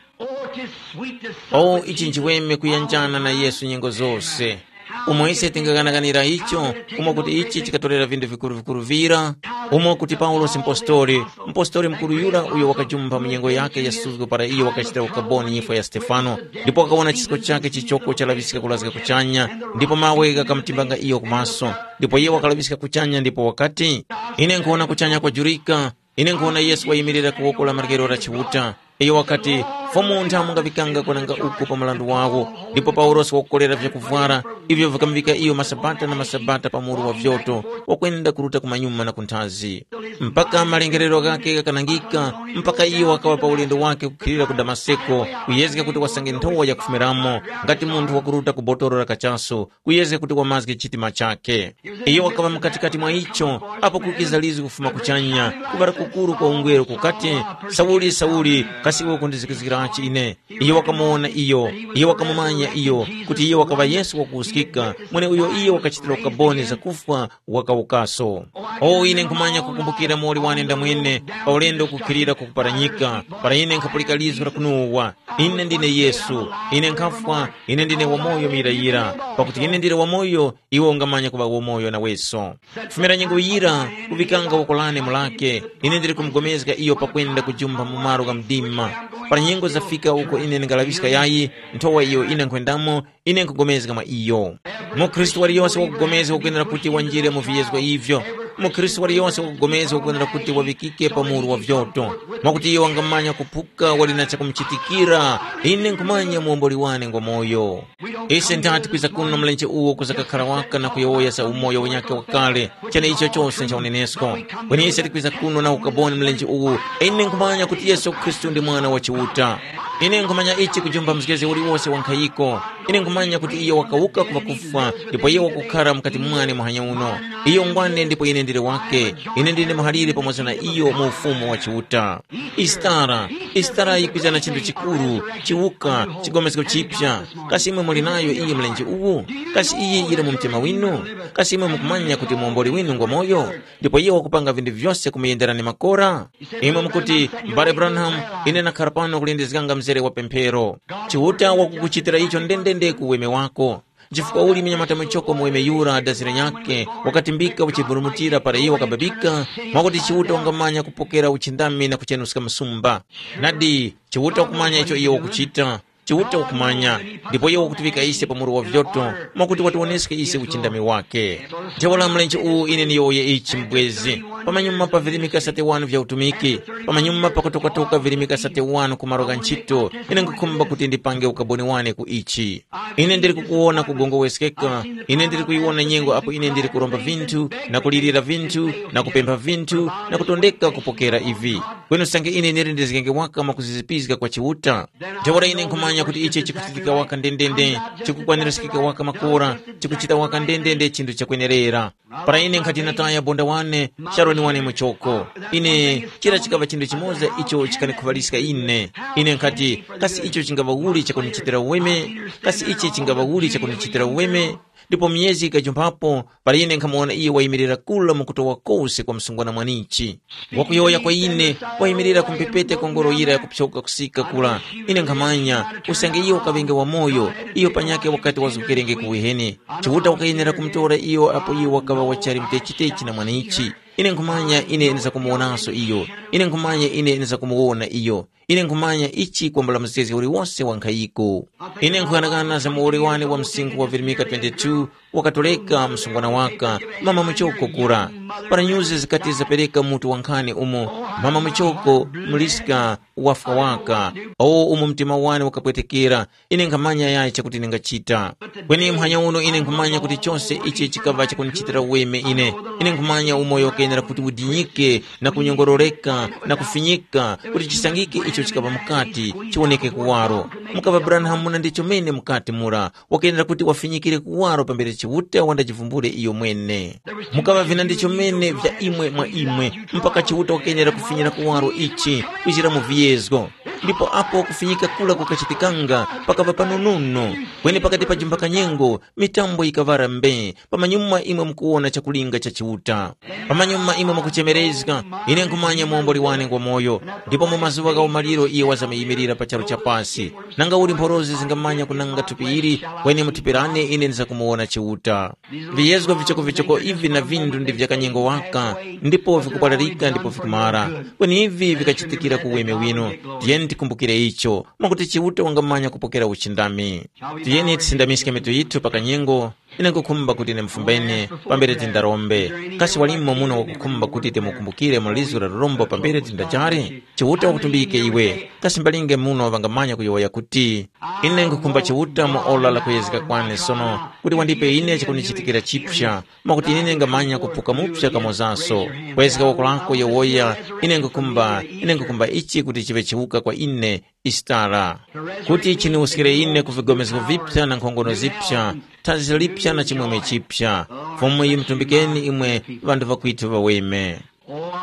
Oh, ichi nchiweme kuyanjana na Yesu nyengo zose. Umo ise tingaganaganira icho, umo kuti ichi chikatorera vinthu vikuru-vikuru vira, umo kuti Paulosi mpostori, mpostori mukuru yura uyo wakajumpha mu nyengo yakhe ya suzgo para iyo wakachitira ukaboni nyifwa ya Stefano, ndipo wakawona chisko chakhe chichoko chalaŵiska kulazga kuchanya, ndipo mawe ghakamutimbanga iyo ku maso. Ndipo iye wakalaŵiska kuchanya ndipo wakati, “Ine nkhuwona kuchanya kwajurika, ine nkhuwona Yesu wayimirira ku woko la maryero la Chiuta.” Iyo wakati, “Fumu nthamu ngaŵikanga kwenanga uku pa mrandu wawo.” Ndipo Paulosi wakukolera vyakuvwara, ivyo vikamuŵika iyo masabata na masabata pa muru wa vyoto, wakwenda kuruta kumanyuma na kunthazi. Mpaka malengerero ghakhe ghakanangika, mpaka iyo wakaŵa pa ulendo wakhe kukhilira ku Damaseko, kuyezga kuti wasange nthowa yakufumiramo, ngati munthu wakuruta ku botoro la kachasu, kuyezga kuti wamazge chitima chakhe. Iyo wakaŵa mukatikati mwa icho, apo kukiza lizgu kufuma kuchanya, kuŵala kukuru kwa ungweru kukati, “Sauli, Sauli, kasi iwe ukundizikizgirachi ine?” Iyo wakamuwona iyo, iyo wakamumanya iyo, kuti iyo wakaŵa Yesu wakuwuskika, mweneuyo iyo wakachitira ukaboni zakufwa, wakawukaso. O, ine nkhumanya kukumbukira muwoli wane ndamwene, pa ulendo kukhilira ku kuparanyika, para ine nkhapulika lizgu la kunowa, “Ine ndine Yesu, ine nkhafwa, ine ndine wamoyo muyirayira, pakuti ine ndili wamoyo, iwe ungamanya kuŵa wamoyo naweso.” Kufumira nyengo yira, kuŵikanga woko lane mu lake, ine ndili kumugomezga iyo pakwenda kujumpha mu malo gha mdima. Para nyengo zafika uko ine ndingalaŵiska yayi, nthowa iyo ine nkhwendamo, ine nkhupulikana mwa iyo. Mukhristu waliyose wakupulikana wakwenera kuti wanjire mu viyezgo ivyo. Mukhristu waliyose wakupulikana wakwenera kuti waŵikike pa muru wa vyoto, mwakuti iyo wangamanya kuphuka wali na chakumuchitikira. Ine nkhumanya muwomboli wane ngwamoyo. Ise nthati kwiza kuno mlenje uwo kuzakakhara waka na kuyowoya za umoyo unyakhe wakale, chene icho chose ncha unenesko. Kweni ise tikwiza kuno na ukaboni mlenje uwu, ine nkhumanya kuti Yesu Khristu ndi Mwana wa Chiuta. Ine nkhumanya ichi kujumba mzgezge uliwose wa nkhayiko. Ine nkhumanya kuti iyo wakawuka ku ŵakufwa, ndipo iyo wakukhara mukati mwane muhanya uno. Iyo ngwane ndipo ine ndili wakhe. Ine ndine muhalire pamoza na iyo mu ufumu wa Chiuta. Isitara, isitara yikwiza na chinthu chikuru, chiwuka, chigomezgo chipya. Kasi imwe muli nayo iyi mlenje uwu? Kasi iyi yili mu mtima winu? Kasi imwe mukumanya kuti muomboli winu ngwamoyo? Ndipo iyo wakupanga vinthu vyose kumuyendera ni makora? Imwe mukuti, M'bale Branham, ine nakhara pano kulindizganga mzere wa pemphero. Chiuta wakukuchitira icho ndendende ku weme wako. Chifukwa uli munyamata muchoko mu weme yura dazira nyakhe, wakatimbika uchiburumutira para iyo wakababika, mwakuti Chiuta wangamanya kupokera uchindami na kuchenuska msumba. Nadi, Chiuta wakumanya icho iyo wakuchita. Chiuta wakumanya, ndipo iyo wakutiŵika ise pa muru wa vyoto, mwakuti watiwoneske ise uchindami wake. Ntheura mlenje uwu ine niyowoye ichi mbwezi. Pamanyuma pa virimika sate wanu vya utumiki, pamanyuma pakutokatoka virimika sate wanu ku malo gha nchito, ine nkhukhumba kuti ndipange ukaboni wane ku ichi. Ine ndili kukuwona kugongoweskeka, ine ndili kuyiwona nyengo apo ine ndili kuromba vinthu, na kulirira vinthu, na kupempha vinthu, na kutondeka kupokera ivi. Kweni usange ine ndili ndizgenge waka mwakuzizipizga kwa Chiuta, ntheura ine nkhumanya kuti ichi chikuchitika waka ndendende, chikukwanirizgika waka makora, chikuchita waka ndendende chinthu chakwenerera. Para ine nkhati nataya bonda wane, Sharoni wane muchoko. Ine, chira chikaŵa chinthu chimoza icho chikanikhuŵaliska ine. Ine nkhati, kasi icho chingaŵa uli chakunichitira uweme? Kasi ichi chingaŵa uli chakunichitira uweme? Ndipo myezi ikajumphapo, para ine nkhamuwona iyo wayimirira kura mu kutowa kose kwa msungwana mwanichi. Wakuyowoya kwa ine, wayimirira ku mphepete kwa ngoro yira yakupsoka kusika kura. Ine nkhamanya, usange iyo wakaŵenge wamoyo, iyo panyakhe wakati wazgukerenge ku uheni. Chiuta wakayenera kumutora iyo apo iyo wakaŵa wachali mutechitechi na mwanichi. Ine nkhumanya ine ndizakumuwonanso iyo. Ine nkhumanya ine ndizakumuwona iyo. Ine nkhumanya ichi kwambula mzgezge uliwose wa nkhayiko. Ine nkhughanaghana za muwoli wane wa msinkhu wa virimika twenty-two, wakatoleka msungwana waka, mama muchoko kura. Para nyuzi zikati zapereka mutu wa nkhani umo, mama muchoko, mliska, wafwa waka, awo umo mtima wane wakapwetekera, ine nkhamanya yayi chakuti ndingachita. Kweni muhanya uno ine nkhumanya kuti chose ichi chikaŵa chakunichitira uweme ine. Ine nkhumanya umoyo ukenera kuti udinyike na kunyongororeka na kufinyika kuti chisangike icho chikaŵa mukati, chiwoneke kuwaro. Mukaŵa Branham muna ndicho mene mukati mura, wakenera kuti wafinyikire kuwaro pambere Chiuta wandachivumbule iyo mwene. Mukaŵa vina ndicho mene vya imwe mwa imwe, mpaka Chiuta wakenera kufinyira kuwaro ichi, kwichira mu viyezgo. Ndipo apo kufinyika kura kukachitikanga, pakava panonono. Kweni pakati pa jumba kanyengo, mitambo yikaŵara mbee, pamanyuma imwe mukuwona chakulinga cha Chiuta. Pamanyuma imwe mukuchemerezga, ine nkhumanya muomboli wane ngwa moyo, ndipo mu mazuŵa gha umaliro iye wazamuyimilira pa charu cha pasi. Nanga uli mphorozi zingamanya kunanga thupi ili, kweni mu thupi lane ine ndizakumuwona Chiuta. Viyezgo vichokovichoko ivi na vindu ndi vya kanyengo waka, ndipo vikupalarika ndipo vikumara. Kweni ivi vikachitikira ku weme wino. Tiyeni tikumbukire icho, mwakuti Chiuta wangamanya kupokera uchindami. Tiyeni tisindamiske mitu yithu pa kanyengo. Ine nkukhumba kuti ine mufumbene pambere tindarombe. Kasi walimo muno wakukhumba kuti timukumbukire mu lizu la lurombo pambere tindajare? Chiuta wakutumbike iwe. Kasi mbalinge muno ŵangamanya kuyowoya kuti, ine nkukhumba Chiuta mu ora la kuyezeka kwane sono, kuti wandipe ine chakunichitikira chipsa, mwakuti ine ngamanya kuphuka mupsa kamozaso. Kwezga woko lako yowoya, ine nkukhumba, ine nkukhumba ichi kuti chiŵe chiwuka kwa ine, Isitara, kuti chiniwuskire ine ku vigomezgo vipya na nkhongono zipya, thazi lipya na chimwemwe chipya. Fumu yimutumbikeni imwe ŵanthu ŵakwitu ŵaweme.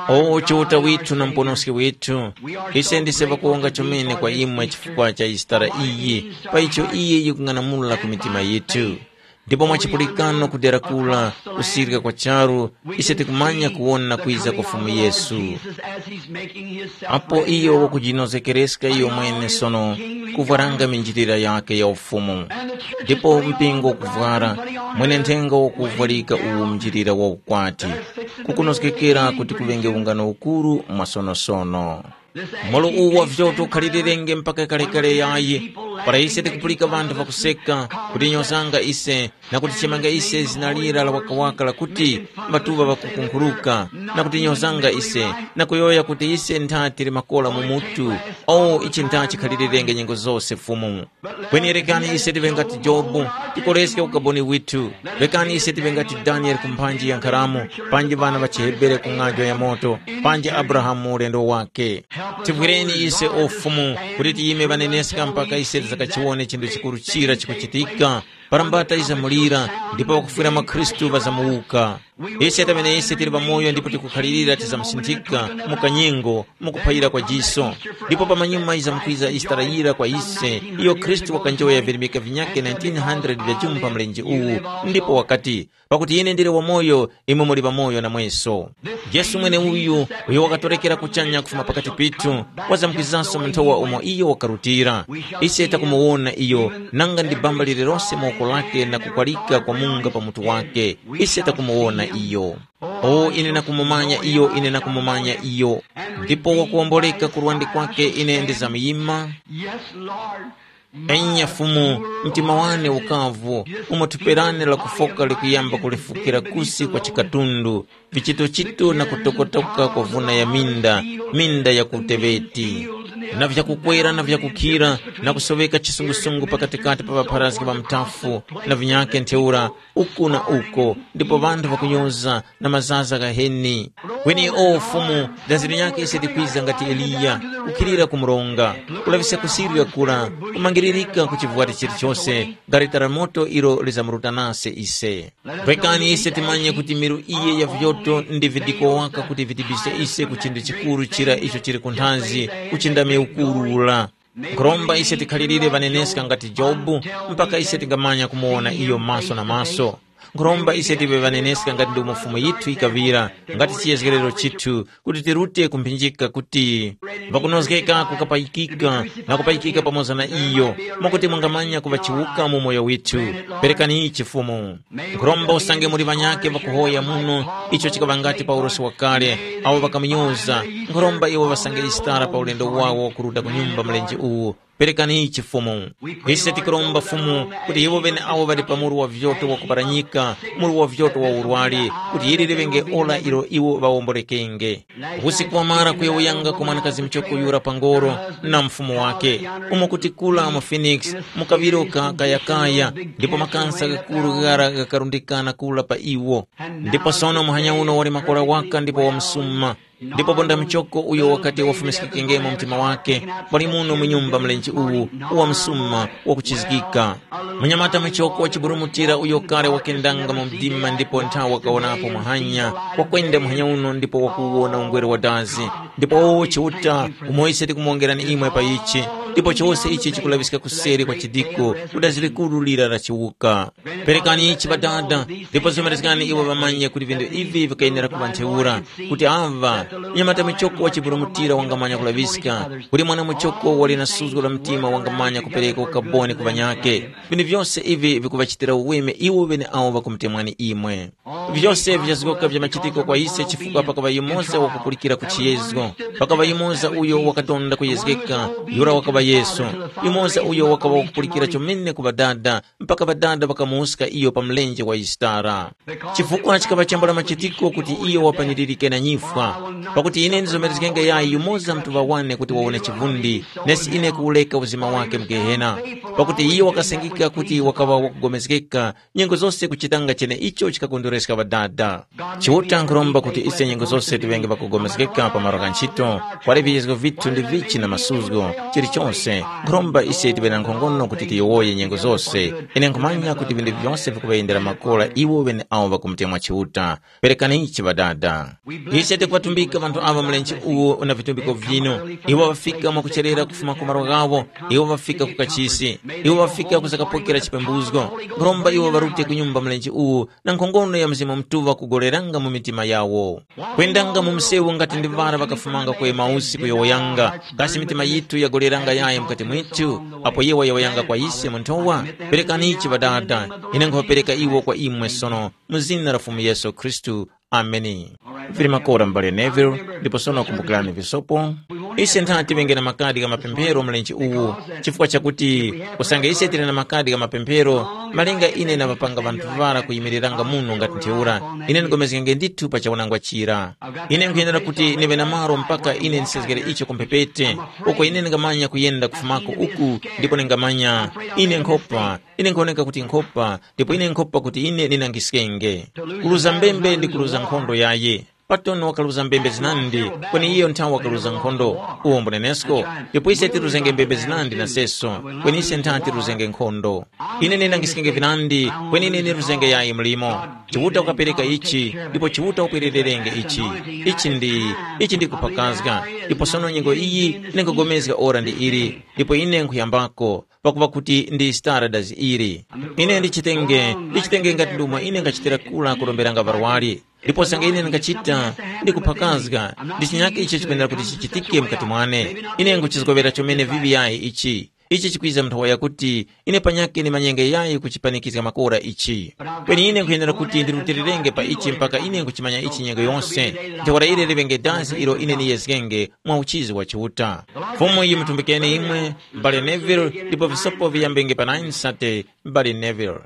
O Chiuta withu na Muponoski withu, ise ndise ŵakuwonga chomene kwa imwe chifukwa cha Isitara iyi, pa icho iye yikung'anamula ku mitima yithu. Ndipo mwa chipulikano kudera kura, kusirika kwa charu, ise tikumanya kuwona kwiza kwa Fumu Yesu. Apo iyo wakujinozekereska iyo mwene sono, kuvwaranga minjilira yakhe ya ufumu. Ndipo mpingo ukuvwara, mwene nthenga wakuvwarika uwu mnjilira wa ukwati, kukunozgekera kuti kuŵenge ungano ukuru mwasonosono. Molo uwu wa vyoto ukhalirenge mpaka kalekale yayi, para ise tikupulika ŵanthu ŵakuseka, kutinyozanga ise, na kutichemanga ise zina lira la wakawaka lakuti, ŵatuŵa ŵakukunkhuruka, na kutinyozanga ise, na kuyowoya kuti ise ntha tili makora mu mutu. O, ichi ntha chikhalirenge nyengo zose Fumu. Kweni rekani ise tive ngati Jobu, tikoreske ukaboni withu. Rekani ise tive ngati Daniele ku mphanji ya nkharamu, panji ŵana ŵa chiHebere ku ng'anjo ya moto, panji Abrahamu mu ulendo wakhe. Tivwireni ise o Fumu, kuti tiyime ŵaneneska mpaka ise tizakachiwone chinthu chikuru chira chikuchitika, parambata izamulira, ndipo ŵakufwira mwa Khristu ŵazamuwuka. Ise tamene ise tili pamoyo ndipo tikukhalirira tizamusinthika mu kanyengo, mu kuphayira kwa jiso. Ndipo pamanyuma yizamkwiza Isitara yira kwa ise, iyo Khristu wakanjoya virimika vinyakhe nineteen hundred vya chumu pa mlenje uwu, ndipo wakati, pakuti ine ndili wamoyo, imwe muli pamoyo namweso. Yesu mweneuyu, uyo wakatorekera kuchanya kufuma pakati pithu, wazamkwizanso mu nthowa umo iyo wakarutira. Ise takumuwona iyo, nanga ndi bamba lililose mu woko lake na kukwalika kwa munga pa mutu wake. Ise takumuwona iyo. O, ine nakumumanya iyo, ine nakumumanya iyo. Ndipo wakuwomboleka ku lwande kwake ine ndizamuyima. Yes, Lord. Enya Fumu, mtima wane ukavu, umo thupi lane lakufoka likuyamba kulifukira kusi kwa chikatundu, vichitochito na kutokotoka kwa vuna ya minda, minda ya ku Tebeti, na vyakukwera na vyakukhira, na kusoweka chisungusungu pakatikati pa ŵapharazgi ŵa muthafu, na vinyakhe ntheura, uku na uko, ndipo ŵanthu ŵakunyoza na mazaza ghaheni. Kweni o Fumu, dazi linyakhe ise tikwiza ngati Eliya, kukhilira ku mronga, kulaŵiska kusirira kura, kumangiririka ku chivwati chilichose, gareta la moto ilo lizamuruta nase ise. Rekani ise timanye kuti miru iye ya vyoto ndi vidiko waka kuti vitibise ise ku chinthu chikuru chira icho chili kunthazi, uchindami ukuru ula. Nkhuromba ise tikhalirire ŵaneneska ngati Jobu, mpaka ise tingamanya kumuwona iyo maso na maso. Nkhuromba ise tive ŵaneneska ngati ndomwe Fumu yithu yikaŵira, ngati chiyezgerero chithu, kuti tirute ku mphinjika kuti, pakunozgeka kukapayikika na kupayikika pamoza na iyo, mwakuti mungamanya kuŵa chiwuka mu moyo withu. Perekani ichi Fumu. Nkhuromba usange muli ŵanyakhe ŵakuhoya muno, icho chikaŵa ngati Paulosi wakale, awo ŵakamunyoza. Nkhuromba iwo ŵasange Isitara pa ulendo wawo wakuruta ku nyumba mlenje uwu. Perekani ichi Fumu. Ise tikuromba Fumu, kuti iwo ŵeneawo ŵali pa muru wa vyoto wakuparanyika, muru wa vyoto wa urwari, kuti ili liŵenge ora ilo iwo ŵawomborekenge. Usiku wamara kuya uyanga ku mwanakazi muchoko yura pa ngoro, na mfumu wake, umo kuti kula mu Phoenix, mu kaŵiro ka kayakaya, ndipo makansa ghakuru ghara ghakarundikana kula pa iwo. Ndipo sono muhanya uno wali makora waka ndipo wa msuma, Ndipo ponda muchoko uyo wakati wafumiskikengemo mtima wake, pali muno mu nyumba mlenje uwu, uwa msuma wakuchizgika. Munyamata muchoko wa chiburumutira uyo kale wakendanga mu mdima ndipo nthawi wakawonapo muhanya, wakwenda muhanya uno ndipo wakuwona ungwere wa dazi. Ndipo Chiuta, umo ise tikumuwongerani imwe pa ichi, ndipo chose ichi chikulaŵiska kuseri kwa chidiko, ku dazi likuru lira la chiwuka. Perekani ichi Ŵadada, ndipo zomerezgani iwo ŵamanye kuti vinthu ivi vikayenera kuŵa ntheura, kuti ava, mnyamata muchoko wa chiburumutira wangamanya kulaŵiska, kuti mwana muchoko wali na suzgo la mtima wangamanya kupereka ukaboni ku ŵanyakhe. Vinthu vyose ivi vikuŵachitira uweme iwo ŵeneawo ŵakumutemwani imwe. Vyose vyazgoka vya machitiko kwa ise chifukwa pakaŵa yumoza wakupulikira ku chiyezgo. Pakaŵa yumoza uyo wakatonda kuyezgeka, yura wakaŵa Yesu. Yumoza uyo wakaŵa wakupulikira chomene ku Ŵadada, mpaka Ŵadada ŵakamuwuska iyo pa mlenje wa Yisitara. Chifukwa chikaŵa chambula machitiko kuti iyo wapaniririke na nyifwa. Pakuti ine ndizomerezgenge yayi yumoza mtuŵa wane kuti wawone chivundi, nesi ine kuwureka uzima wake mu Gehena. Pakuti iyo wakasengeka kuti wakaŵa wakugomezgeka, nyengo zose kuchitanga cheneicho chikakondwereska Ŵadada. Chiuta nkhuromba kuti ise nyengo zose tiŵenge ŵakugomezgeka pa malo gha nchito, kwali viyezgo vithu ndi vichi na masuzgo, chilichose, nkhuromba ise tiŵe na nkhongono kuti tiyowoye nyengo zose. Ine nkhumanya kuti vinthu vyose vikuŵayendera makora iwo ŵeneawo ŵakumutemwa Chiuta. Perekanichi Ŵadada. Ise tikuvatumbika ŵanthu aŵa mlenje uwu na vitumbiko vinu. Iwo ŵafika mwakucherera kufuma ku malo ghawo, iwo ŵafika ku kachisi, iwo ŵafika kuzakapokera chipembuzgo. Nkhuromba iwo ŵarute ku nyumba mlenje uwu na nkhongono ya Mzimu Mutuŵa kugoreranga mu mitima yawo. Kwendanga mu msewu ngati ndi ŵara ŵakafumanga ku Emausi kuyowoyanga, kasi mitima yithu yagoreranga yayi mukati mwithu, apo iwo wayowoyanga kwa ise mu nthowa? Perekanichi Ŵadada, ine nkhuŵapereka iwo kwa imwe sono, mu zina la Fumu Yesu Khristu. Ameni. Vili makora m'bale Neville, ndipo sono kumbukirani visopo. Ise nthati ŵenge na makadi gha mapemphero mlenje uwu, chifukwa chakuti usange ise tili na makadi gha mapemphero, malinga ine na ŵapanga ŵanthu ŵara kuyimiriranga muno ngati ntheura, ine ndigomezgenge ndithu pa chaunangwa chira. Ine nkhuyenera kuti ndiŵe na malo mpaka ine ndisezgere icho ku mphepete, uko ine ndingamanya kuyenda kufumako uku, ndipo ndingamanya ine nkhopa, ine nkhuoneka kuti nkhopa, ndipo ine nkhopa kuti ine ndinangiskenge. Kuluza mbembe ndi kuluza nkhondo yaye. Patoni wakaluza mbembe zinandi, kweni iyo nthawe wakaluza nkhondo. Uwo mbunenesko, ndipo ise tiruzenge mbembe zinandi na seso, kweni ise ntha tiruzenge nkhondo. Ine ninangiskenge vinandi, kweni ine niruzenge yayi mlimo. Chiuta ukapereka ichi, ndipo Chiuta upwerererenge ichi. Ichi ndi, ichi ndi kuphakazga, ndipo sono nyengo iyi ningogomezga ora ndi ili, ndipo ine nkhuyambako, pakupa kuti ndi stara dazi ili. Ine ndichitenge, ndichitenge ngati ndomwe ine ngachitira kula kuromberanga varwari. Ndipo sanga ine ndingachita, ndikuphakazga, ndi chinyake icho chikwenera kuti chichitike mukati mwane. Ine nguchizgowera chomene vivi yayi ichi. Ichi chikwiza nthowa yakuti ine panyakhe ndimanyenge yayi kuchipanikizga makora ichi. Kweni ine nkhuyenera kuti ndirutilirenge pa ichi mpaka ine nkuchimanya ichi nyengo yonse. Ntheura ili liŵenge dazi ilo ine niyezgenge mwa uchizi wa Chiuta. Fumu yimutumbikeni imwe, m'bale Neville, ndipo visopo viyambenge pa nine sate, m'bale Neville.